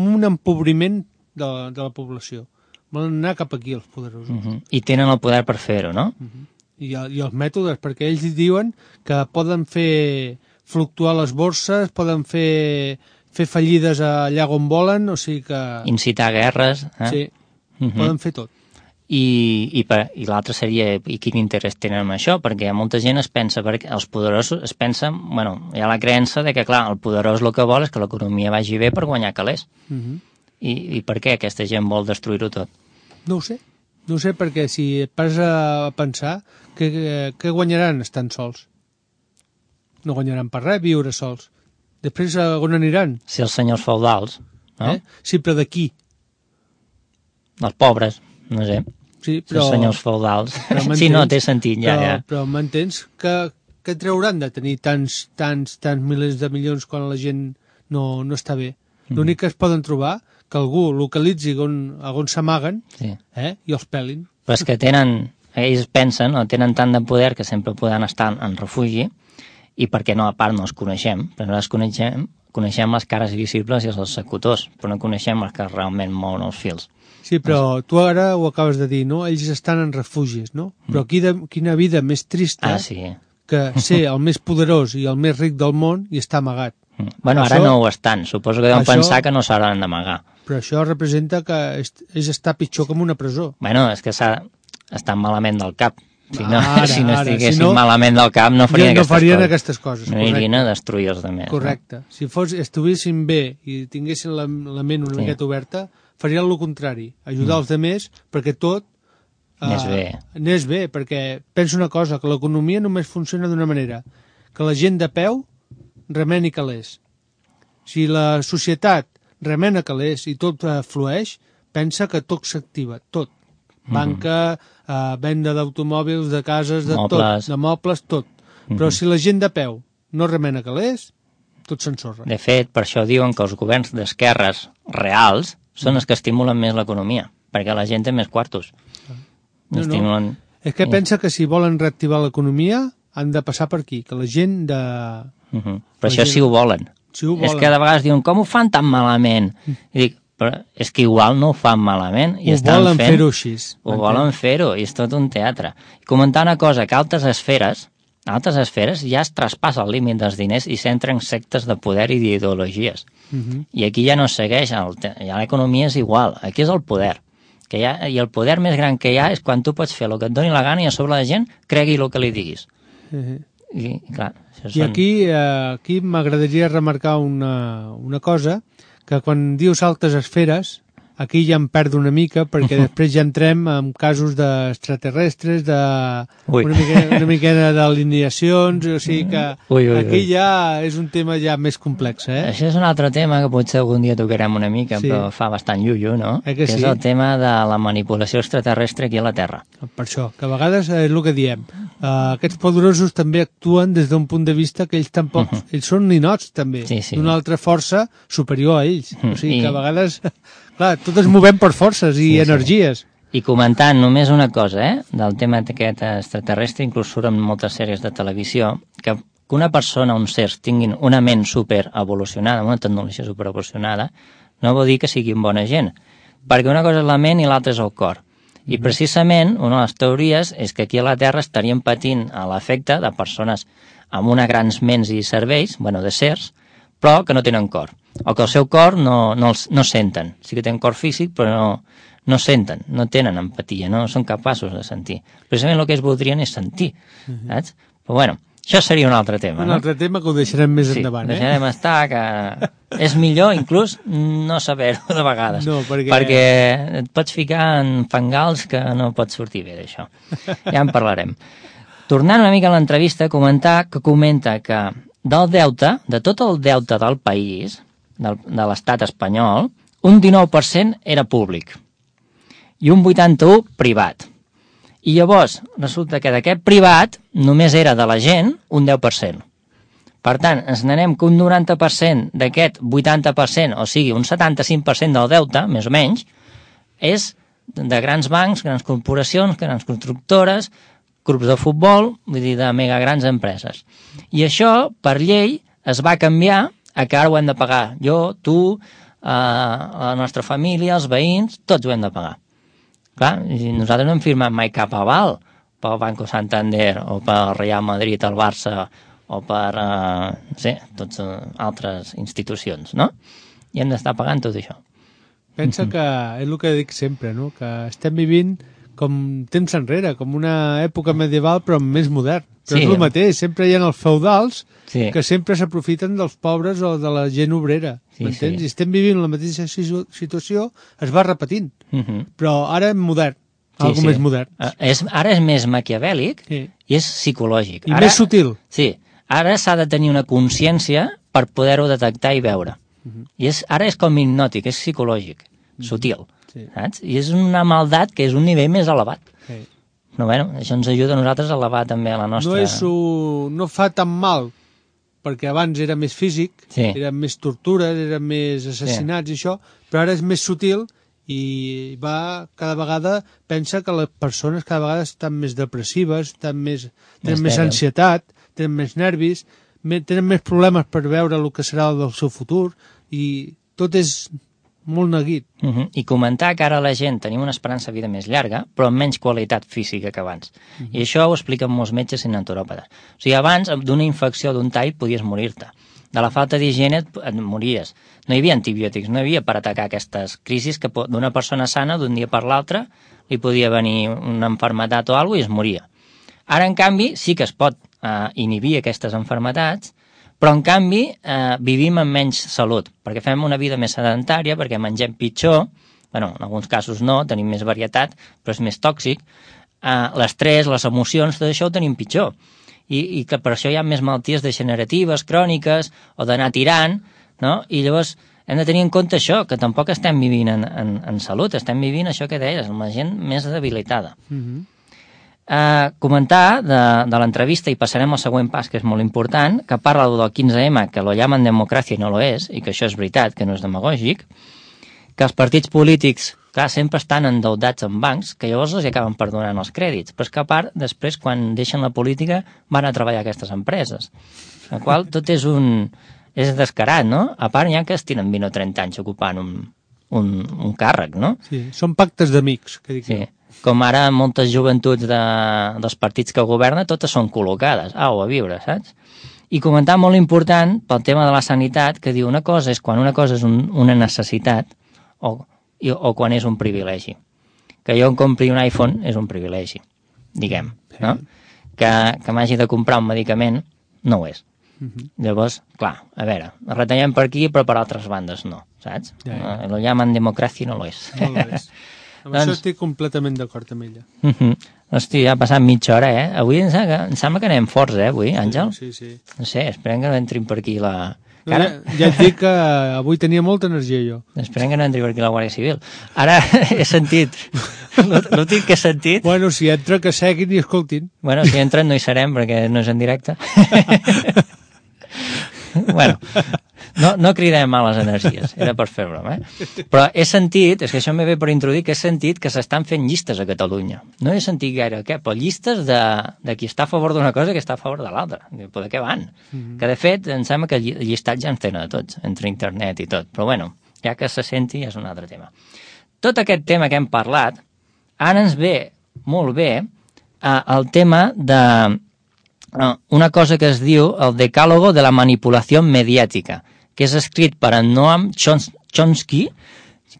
un empobriment de la població. Volen anar cap aquí, els poderosos. I tenen el poder per fer-ho, no? I els mètodes, perquè ells diuen que poden fer fluctuar les borses, poden fer fallides allà on volen, o sigui que... Incitar guerres. Sí, poden fer tot. I l'altre seria, i quin interès tenen en això? Perquè molta gent es pensa, perquè els poderosos es pensen, bueno, hi ha la creença de que, clar, el poderós el que vol és que l'economia vagi bé per guanyar calés. I per què aquesta gent vol destruir-ho tot? No ho sé. No ho sé, perquè si et pas a pensar, què guanyaran estant sols? No guanyaran per res viure sols. Després on aniran? Si els senyors feudals, no? Sí, però de qui? Els pobres, no sé. Sí, però... Els senyors feudals. Sí, no, té sentit, ja. Però m'entens que trauran de tenir tants milers de milions quan la gent no està bé? L'únic que es poden trobar que algú localitzi on s'amaguen i els pelin. Però és que ells pensen, o tenen tant de poder que sempre poden estar en refugi, i perquè no, a part no els coneixem, però nosaltres coneixem les cares visibles i els executors, però no coneixem els que realment mouen els fils. Sí, però tu ara ho acabes de dir, no? Ells estan en refugis, no? Però quina vida més trista que ser el més poderós i el més ric del món i estar amagat. Bueno, ara no ho estan, suposo que deuen pensar que no s'hauran d'amagar. Però això representa que és estar pitjor que en una presó. Bueno, és que estan malament del cap. Si no estiguessin malament del cap no farien aquestes coses. No anirien a destruir els altres. Correcte. Si estiguessin bé i tinguessin la ment una miqueta oberta, farien el contrari, ajudar els altres perquè tot anés bé, perquè penso una cosa, que l'economia només funciona d'una manera, que la gent de peu remeni calés. Si la societat remena calés i tot flueix, pensa que tot s'activa, tot. Banca, venda d'automòbils, de cases, de tot, de mobles, tot. Però si la gent de peu no remena calés, tot s'ensorra. De fet, per això diuen que els governs d'esquerres reals són els que estimulen més l'economia, perquè la gent té més quartos. És que pensa que si volen reactivar l'economia han de passar per aquí, que la gent de... Però això sí ho volen. Sí ho volen. És que de vegades diuen, com ho fan tan malament? I dic, però és que igual no ho fan malament. I Ho volen fer-ho així. Ho volen fer-ho, i és tot un teatre. I comentar una cosa, que altres esferes ja es traspassa el límit dels diners i s'entren sectes de poder i d'ideologies. I aquí ja no es segueix, ja l'economia és igual, aquí és el poder. I el poder més gran que hi ha és quan tu pots fer el que et doni la gana i a sobre la gent cregui el que li diguis. I, clar, I aquí m'agradaria remarcar una cosa, que quan dius altres esferes, aquí ja em perdo una mica, perquè després ja entrem en casos d'extraterrestres, una miqueta d'alineacions, o sigui que aquí ja és un tema ja més complex, eh? Això és un altre tema que potser algun dia tocarem una mica, però fa bastant llullo, no? Que és el tema de la manipulació extraterrestre aquí a la Terra. Per això, que a vegades és el que diem. Aquests poderosos també actuen des d'un punt de vista que ells tampoc... Ells són ninots, també, d'una altra força superior a ells. O sigui que a vegades... Clar, tot es movem per forces i energies. I comentant només una cosa, del tema aquest extraterrestre, inclús surt en moltes sèries de televisió, que una persona, uns sers, tinguin una ment superevolucionada, una tecnologia superevolucionada, no vol dir que siguin bona gent, perquè una cosa és la ment i l'altra és el cor. I precisament, una de les teories és que aquí a la Terra estaríem patint l'efecte de persones amb una grans ments i cervells, de sers, però que no tenen cor, o que el seu cor no senten. Sí que tenen cor físic, però no senten, no tenen empatia, no són capaços de sentir. Precisament el que ells voldrien és sentir, saps? Però això seria un altre tema. Un altre tema que ho deixarem més endavant, Sí, deixarem estar, que és millor inclús no saber-ho de vegades, perquè et pots ficar en fangals que no pots sortir bé d'això. Ja en parlarem. Tornant una mica a l'entrevista, comenta que del deute, de tot el deute del país, de l'estat espanyol, un 19% era públic i un 81% privat. I llavors resulta que d'aquest privat només era de la gent un 10%. Per tant, ens n'anem que un 90% d'aquest 80%, o sigui, un 75% del deute, més o menys, és de grans bancs, grans corporacions, grans constructores, grups de futbol, vull dir, de mega grans empreses. I això, per llei, es va canviar a que ara ho hem de pagar. Jo, tu, la nostra família, els veïns, tots ho hem de pagar. Clar, i nosaltres no hem firmat mai cap aval pel Banco Santander o pel Real Madrid, el Barça o per, totes altres institucions, no? I hem d'estar pagant tot això. Pensa que és el que dic sempre, no? Que estem vivint com temps enrere, com una època medieval però més modern. Però és el mateix, sempre hi ha els feudals que sempre s'aprofiten dels pobres o de la gent obrera, m'entens? I estem vivint la mateixa situació, es va repetint, però ara és modern, algo més modern. Ara és més maquiavèlic i és psicològic. I més sutil. Sí, ara s'ha de tenir una consciència per poder-ho detectar i veure. I ara és com hipnòtic, és psicològic, sutil. Saps? I és una maldat que és un nivell més elevat. Però això ens ajuda a nosaltres a elevar també la nostra... No fa tan mal, perquè abans era més físic, eren més tortures, eren més assassinats i això, però ara és més sutil i cada vegada pensa que les persones cada vegada estan més depressives, tenen més ansietat, tenen més nervis, tenen més problemes per veure el que serà del seu futur i tot és molt neguit. I comentar que ara la gent tenim una esperança de vida més llarga, però amb menys qualitat física que abans. I això ho expliquen molts metges i naturòpates. O sigui, abans, d'una infecció d'un tall, podies morir-te. De la falta d'higiene et mories. No hi havia antibiòtics, no hi havia per atacar aquestes crisis que d'una persona sana, d'un dia per l'altre, li podia venir una malaltia o alguna cosa i es moria. Ara, en canvi, sí que es pot inhibir aquestes malalties, però en canvi vivim amb menys salut, perquè fem una vida més sedentària, perquè mengem pitjor, en alguns casos no, tenim més varietat, però és més tòxic, l'estrès, les emocions, tot això ho tenim pitjor, i que per això hi ha més malalties degeneratives, cròniques, o d'anar tirant, no? I llavors hem de tenir en compte això, que tampoc estem vivint en salut, estem vivint això que deies, amb la gent més debilitada. Comentar de l'entrevista, i passarem al següent pas, que és molt important, que parla del 15M, que lo llaman democràcia i no lo és, i que això és veritat, que no és demagògic, que els partits polítics clar, sempre estan endeudats en bancs, que llavors els acaben perdonant els crèdits, però és que a part, després, quan deixen la política, van a treballar a aquestes empreses. La qual tot és descarat, no? A part, n'hi ha que es tiren 20 o 30 anys ocupant un càrrec, no? Sí, són pactes d'amics, que dic. Sí. Com ara moltes joventuts dels partits que governen, totes són col·locades, au, a viure, saps? I comentar molt important pel tema de la sanitat, que diu una cosa és quan una cosa és una necessitat o quan és un privilegi. Que jo em compri un iPhone és un privilegi, diguem, no? Que m'hagi de comprar un medicament no ho és. Llavors, clar, a veure, retallem per aquí però per altres bandes no, saps? Lo llaman democràcia i no lo és. No lo és. Amb això estic completament d'acord amb ella. Hosti, ja ha passat mitja hora, eh? Avui em sembla que anem forts, avui, Àngel? Sí. No sé, esperem que no entrin per aquí la... Ja et dic que avui tenia molta energia jo. Esperem que no entri per aquí la Guàrdia Civil. Ara he sentit, l'últim que he sentit... Bueno, si entra que seguin i escoltin. Bueno, si entren no hi serem perquè no és en directe. Bueno, no cridem males energies, era per fer broma, Però he sentit, és que això m'he ve per introduir, que he sentit que s'estan fent llistes a Catalunya. No he sentit gaire però llistes de qui està a favor d'una cosa i qui està a favor de l'altra. Però de què van? Que de fet, em sembla que el llistat ja ens tenen a tots, entre internet i tot. Però bueno, ja que se senti és un altre tema. Tot aquest tema que hem parlat, ara ens ve molt bé el tema de una cosa que es diu el decàlogo de la manipulació mediàtica, que és escrit per en Noam Chomsky,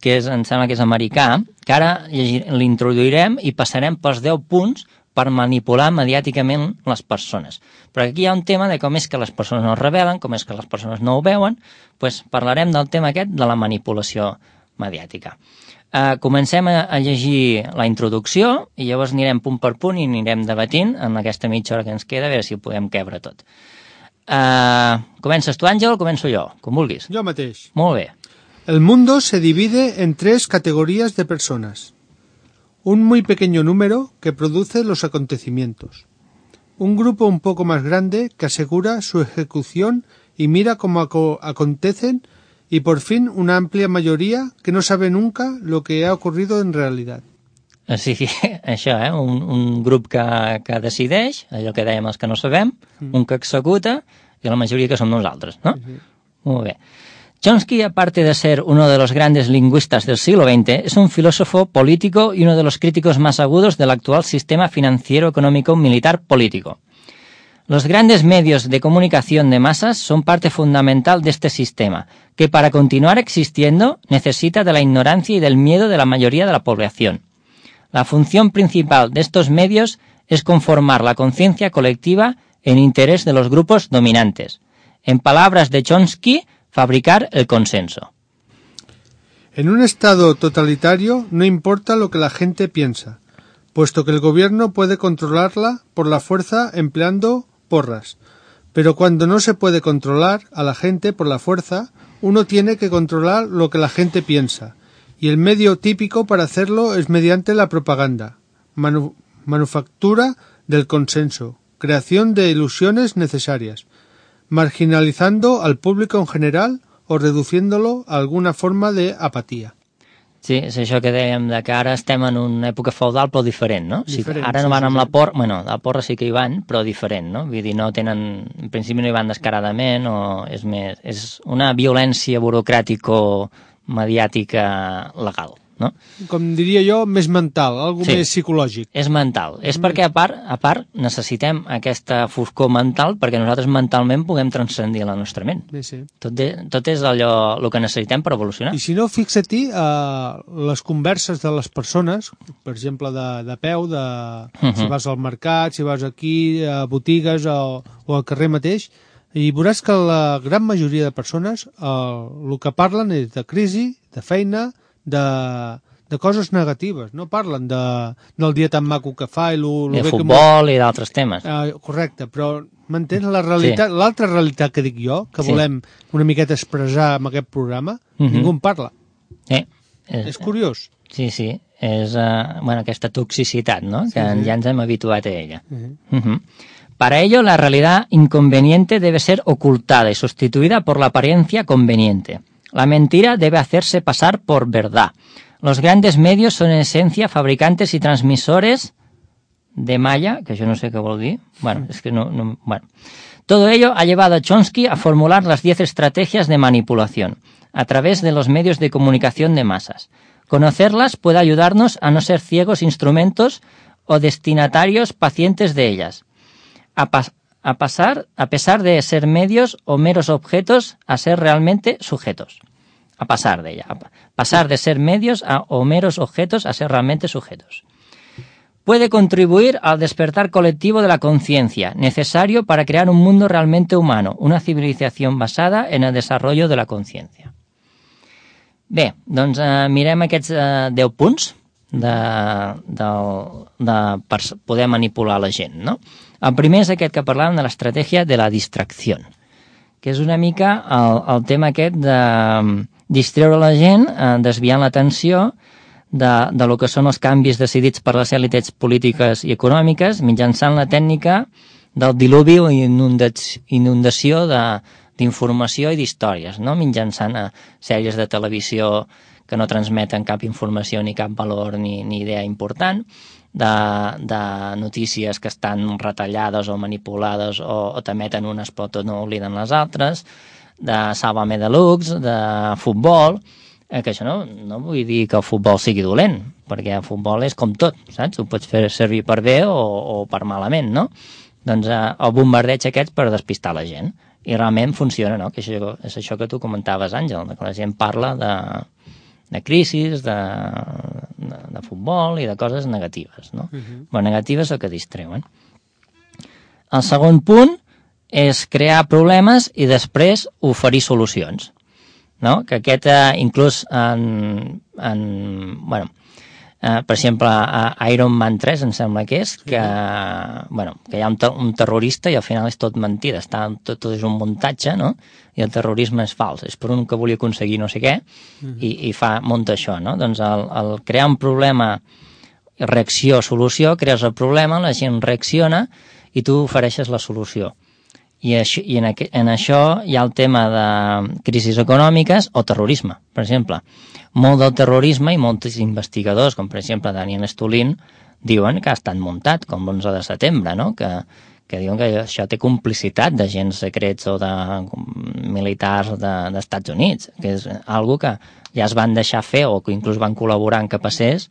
que em sembla que és americà, que ara l'introduirem i passarem pels 10 punts per manipular mediàticament les persones. Però aquí hi ha un tema de com és que les persones no es rebel·len, com és que les persones no ho veuen, doncs parlarem del tema aquest de la manipulació mediàtica. Comencem a llegir la introducció i llavors anirem punt per punt i anirem debatint en aquesta mitja hora que ens queda a veure si ho podem quebre tot. ¿Comences tú, Ángel, o comenzo yo? Com vulguis. Yo mateix. Molt bé. El mundo se divide en 3 categorías de personas. Un muy pequeño número que produce los acontecimientos. Un grupo un poco más grande que asegura su ejecución y mira cómo acontecen, y por fin una amplia mayoría que no sabe nunca lo que ha ocurrido en realidad. Sí, això, un grup que decideix, allò que dèiem els que no sabem, un que executa i la majoria que som nosaltres, ¿no? Muy bien. Chomsky, aparte de ser uno de los grandes lingüistas del siglo XX, es un filósofo político y uno de los críticos más agudos del actual sistema financiero, económico, militar, político. Los grandes medios de comunicación de masas son parte fundamental de este sistema, que para continuar existiendo necesita de la ignorancia y del miedo de la mayoría de la población. La función principal de estos medios es conformar la conciencia colectiva en interés de los grupos dominantes. En palabras de Chomsky, fabricar el consenso. En un estado totalitario no importa lo que la gente piensa, puesto que el gobierno puede controlarla por la fuerza empleando porras. Pero cuando no se puede controlar a la gente por la fuerza, uno tiene que controlar lo que la gente piensa, y el medio típico para hacerlo es mediante la propaganda, manufactura del consenso, creación de ilusiones necesarias, marginalizando al público en general o reduciéndolo a alguna forma de apatía. Sí, és això que dèiem, que ara estem en una època feudal però diferent, no? Diferent, ara no van amb la porra, bueno, la porra sí que hi van, però diferent, no? Vull dir, no tenen, en principi no hi van descaradament, o és més, és una violència burocràtico-mediàtica legal, no? Com diria jo, més mental, algo més psicològic. És mental. És perquè, a part, necessitem aquesta foscor mental perquè nosaltres mentalment puguem transcendir la nostra ment. Sí. Tot és allò el que necessitem per evolucionar. I si no, fixa-t'hi les converses de les persones, per exemple, de peu, si vas al mercat, si vas aquí, a botigues o al carrer mateix, i veuràs que la gran majoria de persones el que parlen és de crisi, de feina, de coses negatives, no parlen del dia tan maco que fa i de futbol i d'altres temes. Correcte, però m'entens la realitat, l'altra realitat que dic jo, que volem una miqueta expressar amb aquest programa, ningú en parla. És curiós. Sí, és aquesta toxicitat, no? Que ja ens hem habituat a ella. Para ello, la realidad inconveniente debe ser ocultada y sustituida por la apariencia conveniente. La mentira debe hacerse pasar por verdad. Los grandes medios son en esencia fabricantes y transmisores de malla, que yo no sé qué vol dir. Bueno, es que no. Todo ello ha llevado a Chomsky a formular las 10 estrategias de manipulación a través de los medios de comunicación de masas. Conocerlas puede ayudarnos a no ser ciegos instrumentos o destinatarios pacientes de ellas. A pesar de ser medios o meros objetos, a ser realmente sujetos. A pasar de ella. Pasar de ser medios o meros objetos a ser realmente sujetos. Puede contribuir al despertar colectivo de la conciencia, necesario para crear un mundo realmente humano, una civilización basada en el desarrollo de la conciencia. Bé, doncs mirem aquests 10 punts per poder manipular la gent, no? El primer és aquest que parlàvem de l'estratègia de la distracció, que és una mica el tema aquest de distreure la gent, desviant l'atenció de lo que són els canvis decidits per les èlites polítiques i econòmiques mitjançant la tècnica del diluvi o inundació d'informació i d'històries, no? Mitjançant sèries de televisió que no transmeten cap informació ni cap valor ni idea important, de notícies que estan retallades o manipulades o t'emeten unes però no obliden les altres, de Sálvame Deluxe, de futbol, que això no vull dir que el futbol sigui dolent, perquè el futbol és com tot, saps? Ho pots fer servir per bé o per malament, no? Doncs el bombardeig aquest per despistar la gent. I realment funciona, no? Que és això que tu comentaves, Àngel, que la gent parla de crisis, de futbol i de coses negatives, no? Però negatives o que distreuen. El segon punt és crear problemes i després oferir solucions, no? Que aquest inclús per exemple a Iron Man 3 em sembla que és que hi ha un terrorista i al final és tot mentida, tot és un muntatge, no? I el terrorisme és fals, és per un que volia aconseguir no sé què i munta això, no? Doncs el crear un problema, reacció, solució, crees el problema, la gent reacciona i tu ofereixes la solució. I en això hi ha el tema de crisis econòmiques o terrorisme, per exemple. Molt del terrorisme i molts investigadors, com per exemple Daniel Stulin, diuen que ha estat muntat, com l'11 de setembre, no? Que diuen que això té complicitat d'agents secrets o de militars dels Estats Units, que és algo que ja es van deixar fer o que inclús van col·laborar en que passés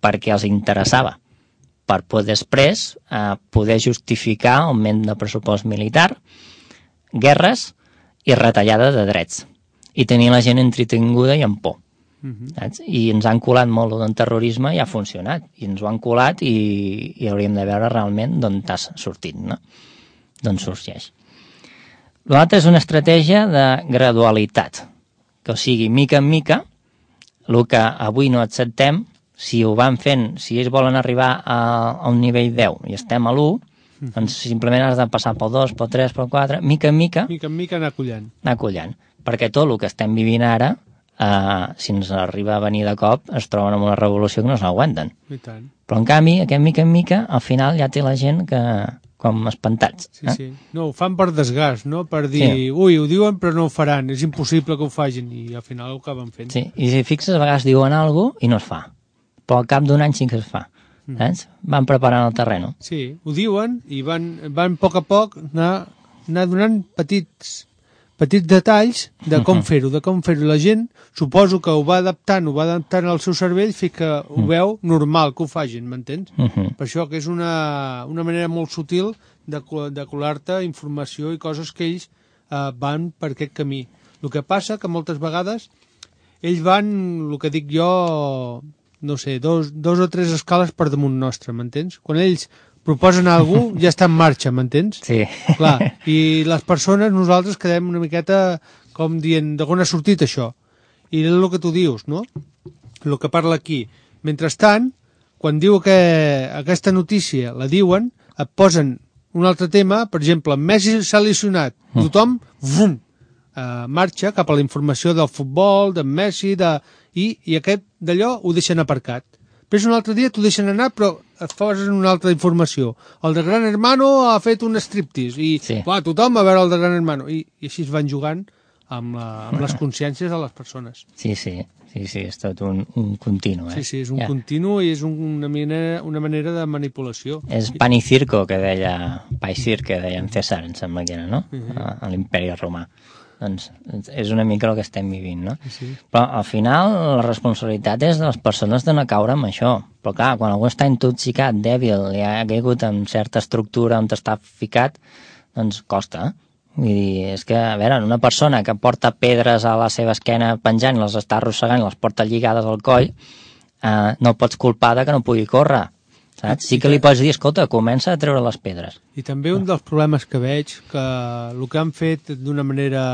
perquè els interessava, per poder després poder justificar augment de pressupost militar, guerres i retallada de drets, i tenir la gent entretinguda i amb por. I ens han colat molt del terrorisme i ha funcionat, i ens ho han colat i hauríem de veure realment d'on t'has sortit, no? D'on sorgeix. L'altre és una estratègia de gradualitat, que o sigui, mica en mica, el que avui no acceptem, si ho van fent, si ells volen arribar a un nivell 10 i estem a l'1, doncs simplement has de passar pel 2, pel 3, pel 4, mica en mica anar collant. Anar collant, perquè tot el que estem vivint ara, si ens arriba a venir de cop, es troben amb una revolució que no s'aguanten. Però en canvi, aquest mica en mica, al final ja té la gent que com espantats. Sí. No, ho fan per desgast, no? Per dir, ui, ho diuen però no ho faran, és impossible que ho facin, i al final ho acaben fent. Sí, i si fixes, a vegades diuen alguna cosa i no es fa. Però al cap d'un any sí que es fa. Saps? Van preparant el terreny. Sí, ho diuen i van a poc anar donant petits detalls de com fer-ho, La gent, suposo que ho va adaptant al seu cervell fins que ho veu normal que ho facin, m'entens? Per això que és una manera molt sutil de colar-te informació i coses que ells van per aquest camí. El que passa que moltes vegades ells van, el que dic jo, no sé, dos o tres escales per damunt nostre, m'entens? Quan ells proposen alguna cosa, ja està en marxa, m'entens? Sí. Clar, i les persones, nosaltres quedem una miqueta com dient, d'on ha sortit això? I és el que tu dius, no? El que parla aquí. Mentrestant, quan diu que aquesta notícia la diuen, et posen un altre tema, per exemple, Messi s'ha lesionat, tothom, marxa cap a la informació del futbol, d'en Messi, i aquest d'allò ho deixen aparcat. Després un altre dia t'ho deixen anar, però et posen una altra informació. El de Gran Hermano ha fet un striptease, i tothom a veure el de Gran Hermano. I així es van jugant amb les consciències de les persones. Sí. és tot un continu. Sí, és un continu i és una manera de manipulació. És pan i circo, que deia que deia en César, em sembla que era, no? A l'imperi romà. Doncs és una mica el que estem vivint, no? Sí. Però al final la responsabilitat és de les persones de no caure amb això. Però clar, quan algú està intoxicat, dèbil, i ha caigut en certa estructura on està ficat, doncs costa. Vull dir, és que, a veure, una persona que porta pedres a la seva esquena penjant i les està arrossegant i les porta lligades al coll, no el pots culpar de que no pugui córrer, saps? Sí que li pots dir, escolta, comença a treure les pedres. I també un dels problemes que veig, que el que han fet d'una manera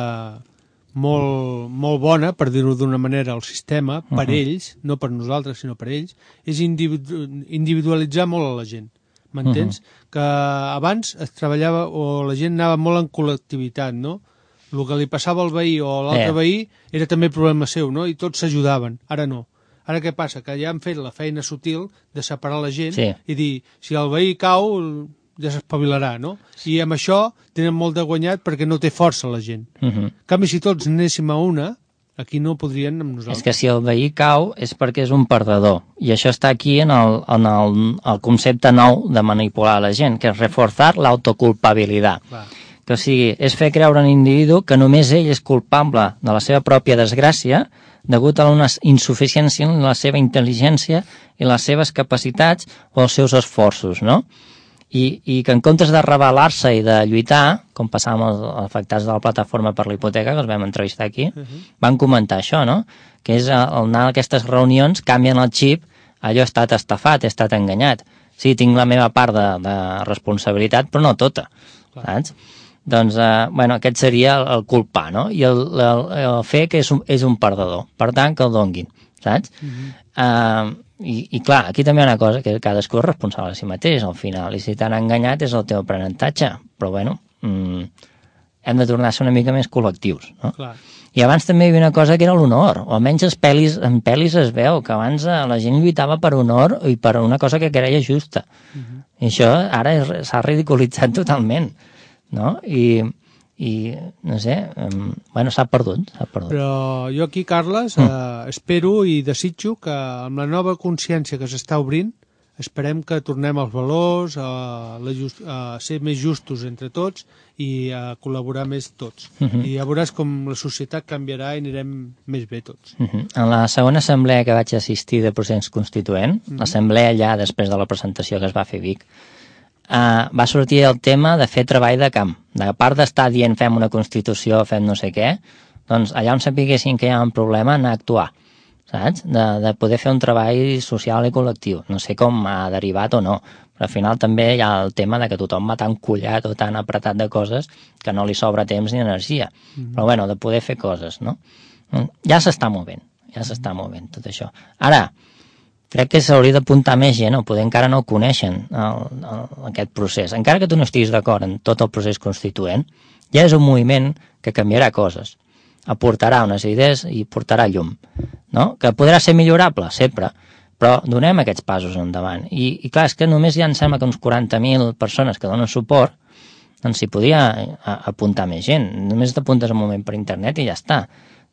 molt bona, per dir-ho d'una manera, el sistema, per ells, no per nosaltres, sinó per ells, és individualitzar molt a la gent. M'entens? Que abans es treballava, o la gent anava molt en col·lectivitat, no? El que li passava al veí o a l'altre veí era també problema seu, no? I tots s'ajudaven. Ara no. Ara què passa? Que ja han fet la feina sutil de separar la gent i dir, si el veí cau, ja s'espavilarà, no? I amb això tenen molt de guanyat perquè no té força la gent. En canvi, si tots anéssim a una, aquí no podrien amb nosaltres. És que si el veí cau és perquè és un perdedor. I això està aquí en el concepte nou de manipular la gent, que és reforçar l'autoculpabilitat. Que o sigui, és fer creure a un individu que només ell és culpable de la seva pròpia desgràcia degut a una insuficiència en la seva intel·ligència i les seves capacitats o els seus esforços, no? I que en comptes de rebel·lar-se i de lluitar, com passava amb els afectats de la plataforma per la hipoteca, que els vam entrevistar aquí, van comentar això, no? Que és al anar a aquestes reunions, canvien el xip, allò he estat estafat, he estat enganyat. Sí, tinc la meva part de responsabilitat, però no tota, saps? Doncs, bueno, aquest seria el culpar, no? I el fer que és un perdedor. Per tant, que el donguin, saps? I clar, aquí també hi ha una cosa, que cadascú és responsable de si mateix, al final, i si t'han enganyat és el teu aprenentatge, però bueno, hem de tornar a ser una mica més col·lectius, no? Clar. I abans també hi havia una cosa que era l'honor, o almenys en pel·lis es veu que abans la gent lluitava per honor i per una cosa que creia justa. I això ara s'ha ridiculitzat totalment, no? I no sé, bueno, s'ha perdut. Però jo aquí, Carles, espero i desitjo que amb la nova consciència que s'està obrint, esperem que tornem als valors, a ser més justos entre tots i a col·laborar més tots. I ja veuràs com la societat canviarà i anirem més bé tots. En la segona assemblea que vaig assistir de procés constituent, l'assemblea allà després de la presentació que es va fer a Vic, va sortir el tema de fer treball de camp. A part d'estar dient fem una Constitució, fem no sé què, doncs allà on sapiguessin que hi ha un problema, anar a actuar, saps? De poder fer un treball social i col·lectiu. No sé com ha derivat o no, però al final també hi ha el tema de que tothom va tan collat o tan apretat de coses que no li sobra temps ni energia. Però bueno, de poder fer coses, no? Ja s'està movent tot això. Ara, crec que s'hauria d'apuntar més gent, o poder encara no coneixen aquest procés. Encara que tu no estiguis d'acord en tot el procés constituent, ja és un moviment que canviarà coses, aportarà unes idees i portarà llum, no? Que podrà ser millorable, sempre, però donem aquests passos endavant. I clar, és que només hi ha, em sembla que uns 40.000 persones que donen suport, doncs s'hi podia apuntar més gent. Només t'apuntes un moment per internet i ja està,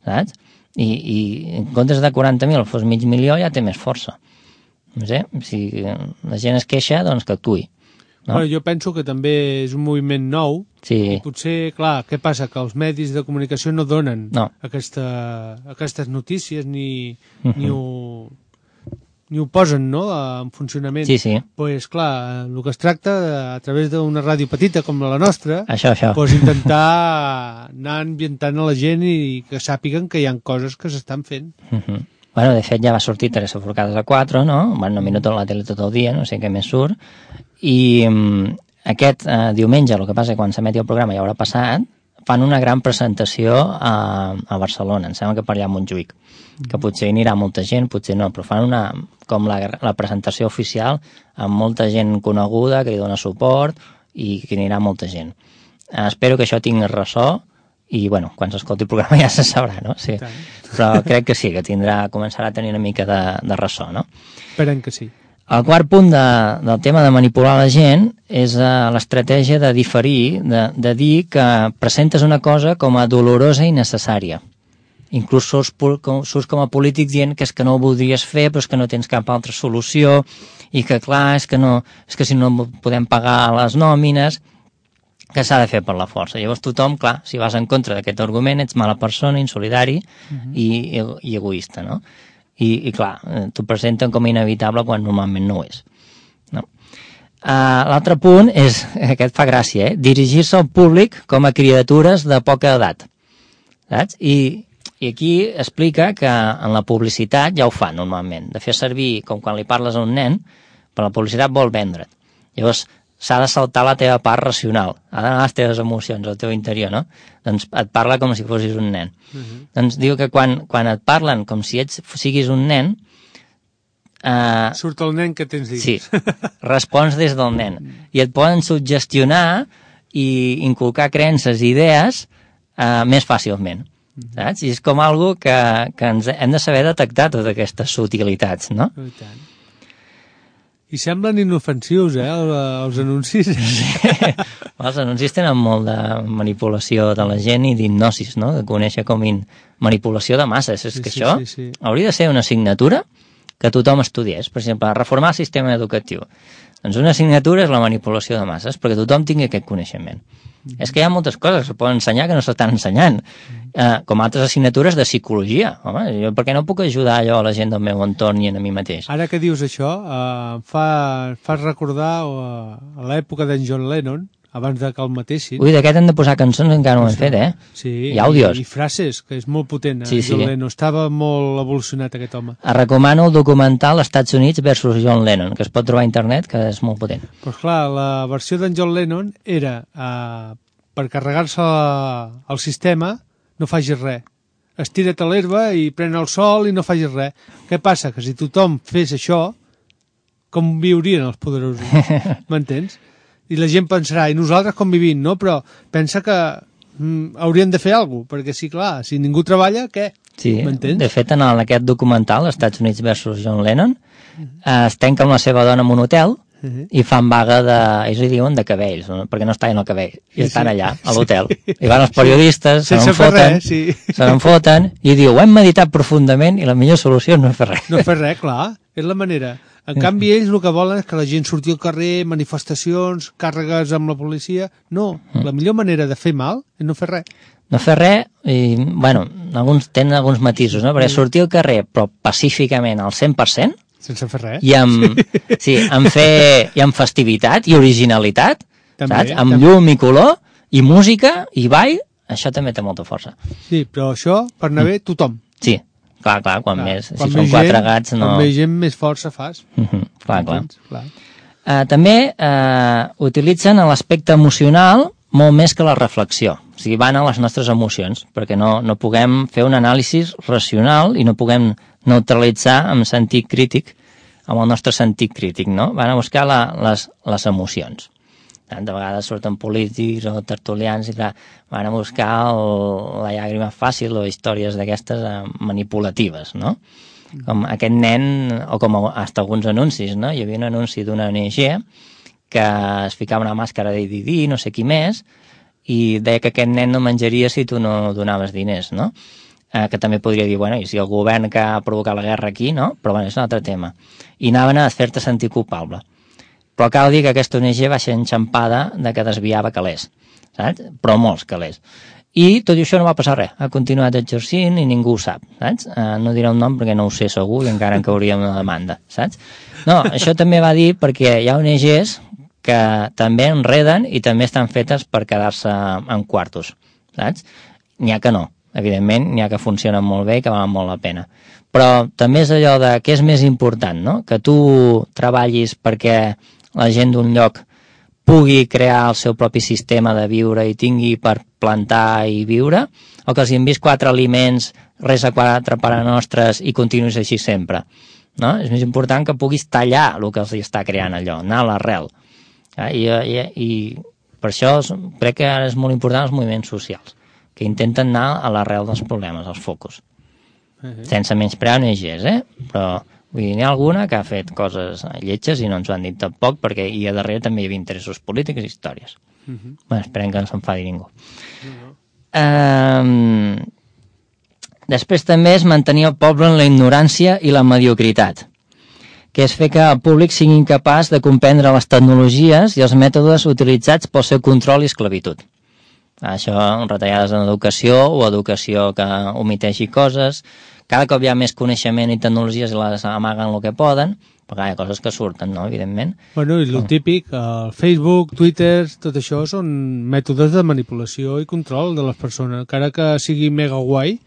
saps? I en comptes de 40.000 fos 500.000, ja té més força. No sé, si la gent es queixa, doncs que actuï. No? Bueno, jo penso que també és un moviment nou. Sí. I potser, clar, què passa? Que els medis de comunicació no donen aquestes notícies ni ho posen, no?, en funcionament. Sí. Pues, clar, el que es tracta, a través d'una ràdio petita com la nostra, això. Pues intentar anar ambientant a la gent i que sàpiguen que hi ha coses que s'estan fent. Bueno, de fet ja va sortir Teresa Forcades a 4, no? Bueno, minuto a la tele tot el dia, no sé què més surt. I aquest diumenge, el que passa que quan s'emeti el programa ja haurà passat, fan una gran presentació a Barcelona, em sembla que per allà a Montjuïc, que potser hi anirà molta gent, potser no, però fan com la presentació oficial amb molta gent coneguda que li dona suport i que hi anirà molta gent. Espero que això tingui ressò i, bueno, quan s'escolti el programa ja se sabrà, no? Sí. Però crec que sí, que començarà a tenir una mica de ressò, no? Esperem que sí. El quart punt del tema de manipular la gent és l'estratègia de diferir, de dir que presentes una cosa com a dolorosa i necessària. inclús surts com a polític dient que és que no ho voldries fer però és que no tens cap altra solució i que clar, és que si no podem pagar les nòmines, que s'ha de fer per la força. Llavors tothom, clar, si vas en contra d'aquest argument ets mala persona, insolidari i egoista, no? I clar, t'ho presenten com a inevitable quan normalment no ho és. No? L'altre punt és, aquest fa gràcia, dirigir-se al públic com a criatures de poca edat. Saps? I aquí explica que en la publicitat ja ho fa normalment, de fer servir, com quan li parles a un nen, però la publicitat vol vendre't. Llavors s'ha de saltar la teva part racional, ha d'anar les teves emocions, al teu interior, no? Doncs et parla com si fossis un nen. Doncs diu que quan et parlen com si siguis un nen, surt el nen que tens dins. Sí, respons des del nen. I et poden suggestionar i inculcar creences i idees més fàcilment. Saps? I és com algo que ens hem de saber detectar totes aquestes sutilitats, no? I tant. I semblen inofensius, els anuncis. Sí. Els anuncis tenen molt de manipulació de la gent i d'hipnosis, no? De conèixer com manipulació de masses. És que això hauria de ser una assignatura que tothom estudiés. Per exemple, reformar el sistema educatiu. Doncs una assignatura és la manipulació de masses, perquè tothom tingui aquest coneixement. És que hi ha moltes coses que es poden ensenyar que no s'estan ensenyant, com altres assignatures de psicologia. Home, jo per què no puc ajudar allò a la gent del meu entorn i a mi mateix? Ara que dius això, fas recordar a l'època d'en John Lennon, abans de que el matessin. Ui, d'aquest hem de posar cançons, encara no ho hem fet, Sí, i àudios. I frases, que és molt potent. Sí. John Lennon estava molt evolucionat, aquest home. Recomano el documental Estats Units versus John Lennon, que es pot trobar a internet, que és molt potent. Doncs clar, la versió d'en John Lennon era per carregar-se el sistema no facis res. Estira't a l'herba i pren el sol i no facis res. Què passa? Que si tothom fes això, com viurien els poderosos? M'entens? I la gent pensarà, i nosaltres com vivim, no? Però pensa que hauríem de fer alguna cosa, perquè sí, clar, si ningú treballa, què? Sí, m'entens? De fet, en aquest documental, Estats Units versus John Lennon, es tanca amb la seva dona en un hotel i fan vaga ells li diuen de cabells, no? Perquè no es tallen el cabell, i estan allà, a l'hotel. I van els periodistes, se n'en foten, i diu, ho hem meditat profundament i la millor solució és no fer res. No fer res, clar, és la manera. En canvi, ells el que volen és que la gent surti al carrer, manifestacions, càrregues amb la policia. No, la millor manera de fer mal és no fer res. No fer res, i, bueno, tenen alguns matisos, no? Perquè sortir al carrer, però pacíficament al 100%, sense fer res. I amb festivitat i originalitat, també, saps? Amb llum i color, i música, i ball, això també té molta força. Sí, però això, per anar bé, tothom. Sí. Clar, quan més, si són quatre gats no... Quan més gent, més força fas. Clar. També utilitzen l'aspecte emocional molt més que la reflexió. O sigui, van a les nostres emocions, perquè no puguem fer un anàlisi racional i no puguem neutralitzar amb sentit crític, amb el nostre sentit crític, no? Van a buscar les emocions. De vegades surten polítics o tertulians i clar, van a buscar la llàgrima fàcil o històries d'aquestes manipulatives, no? Com aquest nen, o com hasta alguns anuncis, no? Hi havia un anunci d'una ONG que es ficava una màscara de Didi, no sé qui més, i deia que aquest nen no menjaria si tu no donaves diners, no? Que també podria dir, bueno, i si el govern que ha provocat la guerra aquí, no? Però bueno, és un altre tema. I anaven a fer-te sentir culpable. Però cal dir que aquesta ONG va ser enxampada de que desviava calés, saps? Però molts calés. I tot i això no va passar res. Ha continuat exercint i ningú ho sap, saps? No diré el nom perquè no ho sé segur i encara en cauria una demanda, saps? No, això també va dir perquè hi ha ONGs que també enreden i també estan fetes per quedar-se en quartos, saps? N'hi ha que no, evidentment, n'hi ha que funcionen molt bé i que valen molt la pena. Però també és allò de què és més important, no? Que tu treballis perquè la gent d'un lloc pugui crear el seu propi sistema de viure i tingui per plantar i viure, o que els envis 4 aliments, res a 4 pares nostres i continuïs així sempre. No? És més important que puguis tallar el que els està creant allò, anar a l'arrel. I per això crec que ara és molt important els moviments socials, que intenten anar a l'arrel dels problemes, als focus. Sense menysprear ONGs, però vull dir, n'hi ha alguna que ha fet coses lletges i no ens ho han dit tampoc, perquè i a darrere també hi havia interessos polítics i històries. Bueno, esperem que no s'enfadi ningú. Després també és mantenir el poble en la ignorància i la mediocritat, que és fer que el públic sigui incapaç de comprendre les tecnologies i els mètodes utilitzats pel seu control i esclavitud. Això, retallades en educació o educació que omiteixi coses. Cada cop hi ha més coneixement i tecnologies i les amaguen el que poden, però hi ha coses que surten, no?, evidentment. Bueno, i el típic, el Facebook, Twitter, tot això són mètodes de manipulació i control de les persones. Encara que sigui mega guai,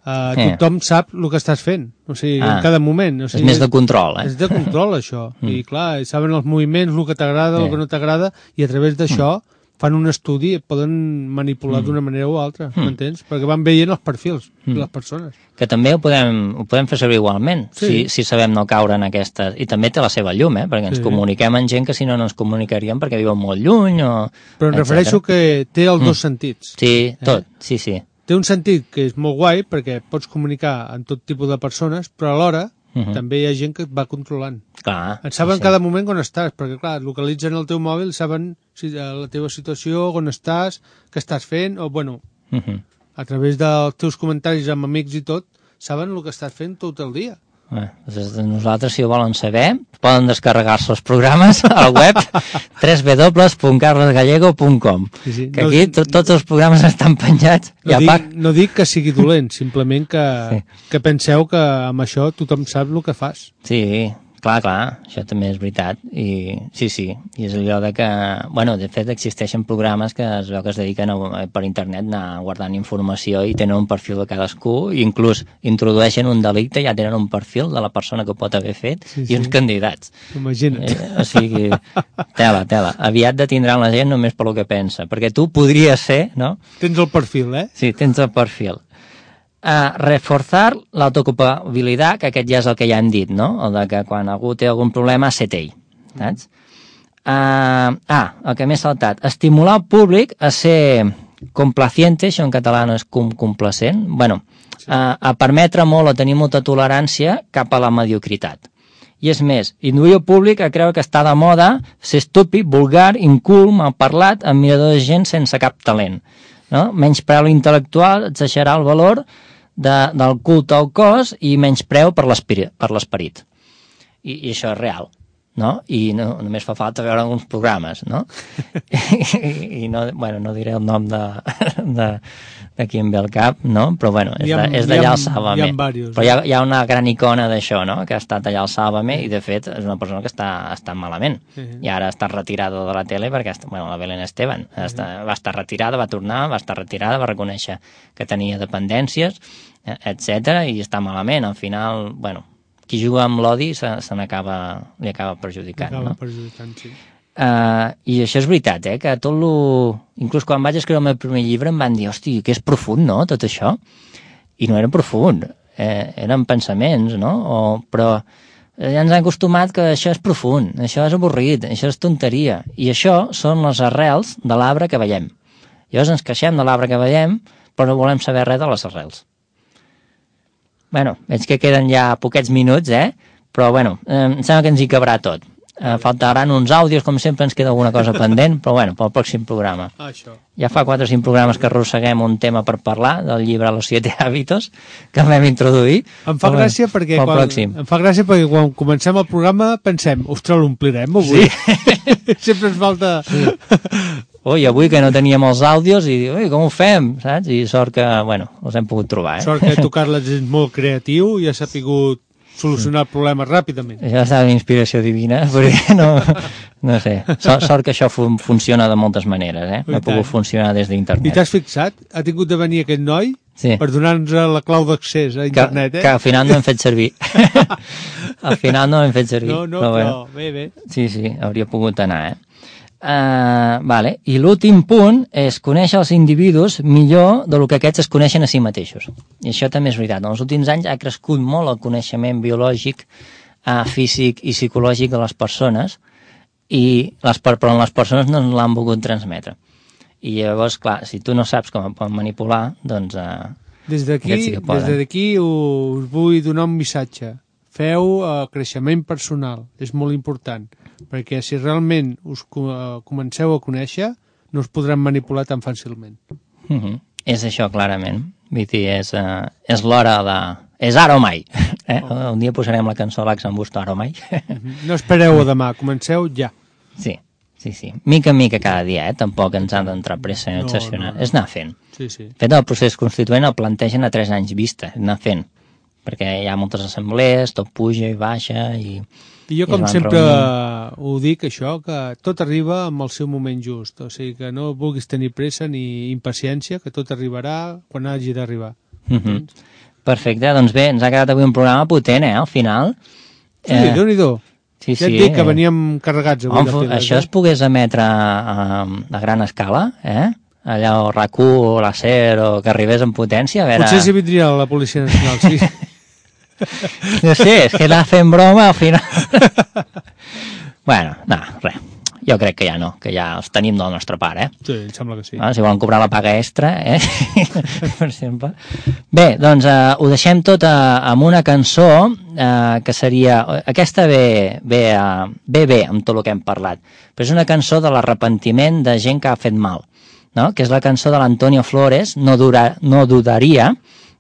tothom sap el que estàs fent, o sigui, en cada moment. O sigui, és més de control, És de control, això. I clar, saben els moviments, el que t'agrada, el que no t'agrada, i a través d'això fan un estudi i poden manipular d'una manera o altra, m'entens? Perquè van veient els perfils de les persones. Que també ho podem fer servir igualment, si sabem no caure en aquestes... I també té la seva llum, perquè ens comuniquem amb gent que si no ens comunicaríem perquè viuen molt lluny o... Però em refereixo que té els dos sentits. Sí, tot, sí. Té un sentit que és molt guai perquè pots comunicar amb tot tipus de persones, però alhora també hi ha gent que et va controlant. Clar, et saben cada moment on estàs, perquè clar, localitzen el teu mòbil, saben la teva situació, on estàs, què estàs fent, o bueno, a través dels teus comentaris amb amics i tot, saben el que estàs fent tot el dia. Nosaltres, si ho volen saber, poden descarregar-se els programes al web www.carlosgallego.com, que aquí tots els programes estan penjats. No dic que sigui dolent, simplement que penseu que amb això tothom sap el que fas. Sí, clar, això també és veritat. I sí, i és allò de que... Bueno, de fet, existeixen programes que es veu que es dediquen per internet a anar guardant informació i tenen un perfil de cadascú, i inclús introdueixen un delicte i ja tenen un perfil de la persona que ho pot haver fet i uns candidats. Imagina't. O sigui, tela. Aviat detindran la gent només per lo que pensa, perquè tu podries ser, no? Tens el perfil, Sí, tens el perfil. Reforçar l'autocupabilitat, que aquest ja és el que ja hem dit, no? El de que quan algú té algun problema, set ell, saps? El que m'he saltat. Estimular el públic a ser complaciente, això en català no és complacent, bueno, a permetre molt o tenir molta tolerància cap a la mediocritat. I és més, induir el públic a creure que està de moda ser estúpid, vulgar, incul, malparlat, admirador de gent sense cap talent. No? Menyspreu l'intel·lectual, exagerar el valor del culte al cos i menyspreu per l'esperit. I això és real, no? I només fa falta veure alguns programes, no? I no diré el nom de qui em ve al cap, no? Però bueno, és d'allà al Sálvame. Però hi ha una gran icona d'això, no? Que ha estat allà al Sálvame i de fet és una persona que està malament. I ara està retirada de la tele perquè, la Belén Esteban va estar retirada, va tornar, va estar retirada, va reconèixer que tenia dependències, etc. i està malament. Al final, qui juga amb l'odi li acaba perjudicant, no? Sí. I això és veritat, que tot inclús quan vaig escriure el meu primer llibre em van dir, hosti, que és profund, no?, tot això. I no era profund, eren pensaments, no? Però ja ens han acostumat que això és profund, això és avorrit, això és tonteria. I això són les arrels de l'arbre que veiem. Llavors ens queixem de l'arbre que veiem, però no volem saber res de les arrels. Veig que queden ja poquets minuts, però em sembla que ens hi cabrà tot. Faltaran uns àudios, com sempre ens queda alguna cosa pendent, però pel pròxim programa. Ja fa 4 o 5 programes que arrosseguem un tema per parlar del llibre Los 7 hábitos, que vam introduir. Em fa gràcia perquè quan comencem el programa pensem, ostres, l'omplirem avui? Sí. Sempre ens falta... I avui que no teníem els àudios i com ho fem, saps? I sort que, els hem pogut trobar, Sort que tu, Carles, és molt creatiu i has sapigut solucionar el problema ràpidament. Això està d'inspiració divina, perquè no sé. Sort que això funciona de moltes maneres, No ha pogut funcionar des d'internet. I t'has fixat? Ha tingut de venir aquest noi per donar-nos la clau d'accés a internet, Que al final no hem fet servir. Al final no hem fet servir. Però bé. Sí, hauria pogut anar, I l'últim punt és conèixer els individus millor del que aquests es coneixen a si mateixos. I això també és veritat. En els últims anys ha crescut molt el coneixement biològic, físic i psicològic de les persones, però les persones no l'han volgut transmetre. I llavors, clar, si tu no saps com poden manipular, doncs... Des d'aquí us vull donar un missatge. Feu creixement personal, és molt important, perquè si realment us comenceu a conèixer, no us podran manipular tan fàcilment. És això, clarament. Vull dir, és l'hora de... És ara o mai. Un dia posarem la cançó a l'Axambusto, ara o mai. No espereu a demà, comenceu ja. Sí. Mica en mica cada dia, tampoc ens han d'entrar pressa i obsessionar. És anar fent. Sí. Fet el procés constituent el plantegen a 3 anys vista, és anar fent. Perquè hi ha moltes assemblees, tot puja i baixa i jo com sempre ho dic, això, que tot arriba amb el seu moment just. O sigui, que no vulguis tenir pressa ni impaciència, que tot arribarà quan hagi d'arribar. Perfecte, doncs bé, ens ha quedat avui un programa potent, al final. Sí, Déu-n'hi-do. Ja et dic que veníem carregats avui de piles. Això es pogués emetre a gran escala, allà o RAC1 o la SER, o que arribés en potència. A veure... Potser si vindria la Policia Nacional, sí. No sé, és que anar fent broma al final... Bueno, no, res. Jo crec que ja no, que ja els tenim del nostre part, Sí, em sembla que sí. Si volen cobrar la paga extra, per exemple. Bé, doncs ho deixem tot amb una cançó que seria... Aquesta ve amb tot el que hem parlat, però és una cançó de l'arrepentiment de gent que ha fet mal, no? Que és la cançó de l'Antonio Flores, No dudaria,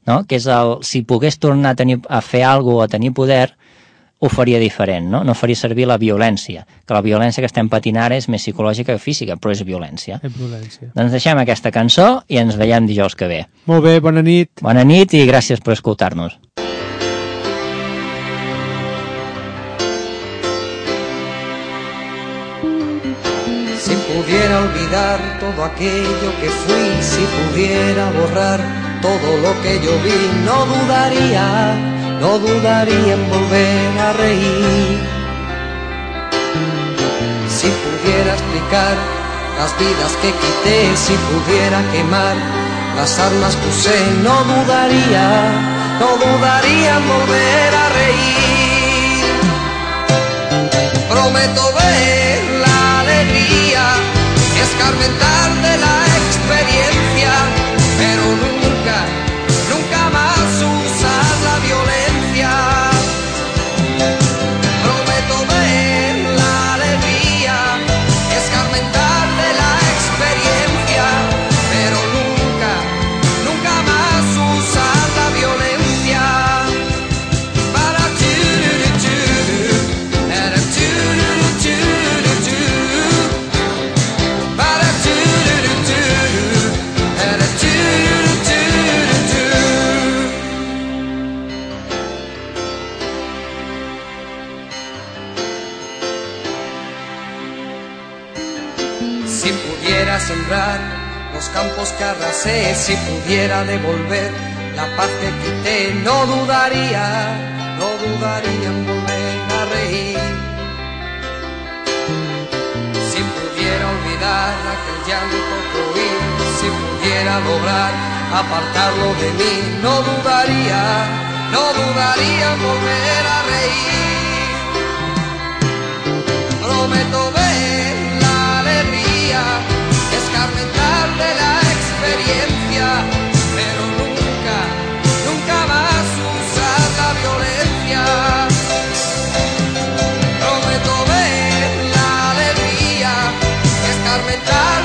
no? Que és el... Si pogués tornar a fer alguna cosa o a tenir poder, ho faria diferent, no? No faria servir la violència, que la violència que estem patint ara és més psicològica que física, però és violència. És violència. Doncs deixem aquesta cançó i ens veiem dijous que ve. Molt bé, bona nit. Bona nit i gràcies per escoltar-nos. Si pudiera olvidar todo aquello que fui, si pudiera borrar todo lo que yo vi, no dudaría en volver a reír. Si pudiera explicar las vidas que quité, si pudiera quemar las armas que usé, no dudaría en volver a reír. Prometo ver la alegría, escarmentar de la experiencia, pero nunca más usar la violencia. Prometo ver la alegría, escarmentar de la experiencia, pero nunca más usar la violencia. Para si pudiera sembrar los campos que arrasé, si pudiera devolver la paz que quité, no dudaría en volver a reír. Si pudiera olvidar aquel llanto que oí, si pudiera lograr apartarlo de mí, no dudaría en volver a reír. Prometo ver la alegría, escarmentar de la experiencia, pero nunca más usar la violencia. Prometo ver la alegría, escarmentar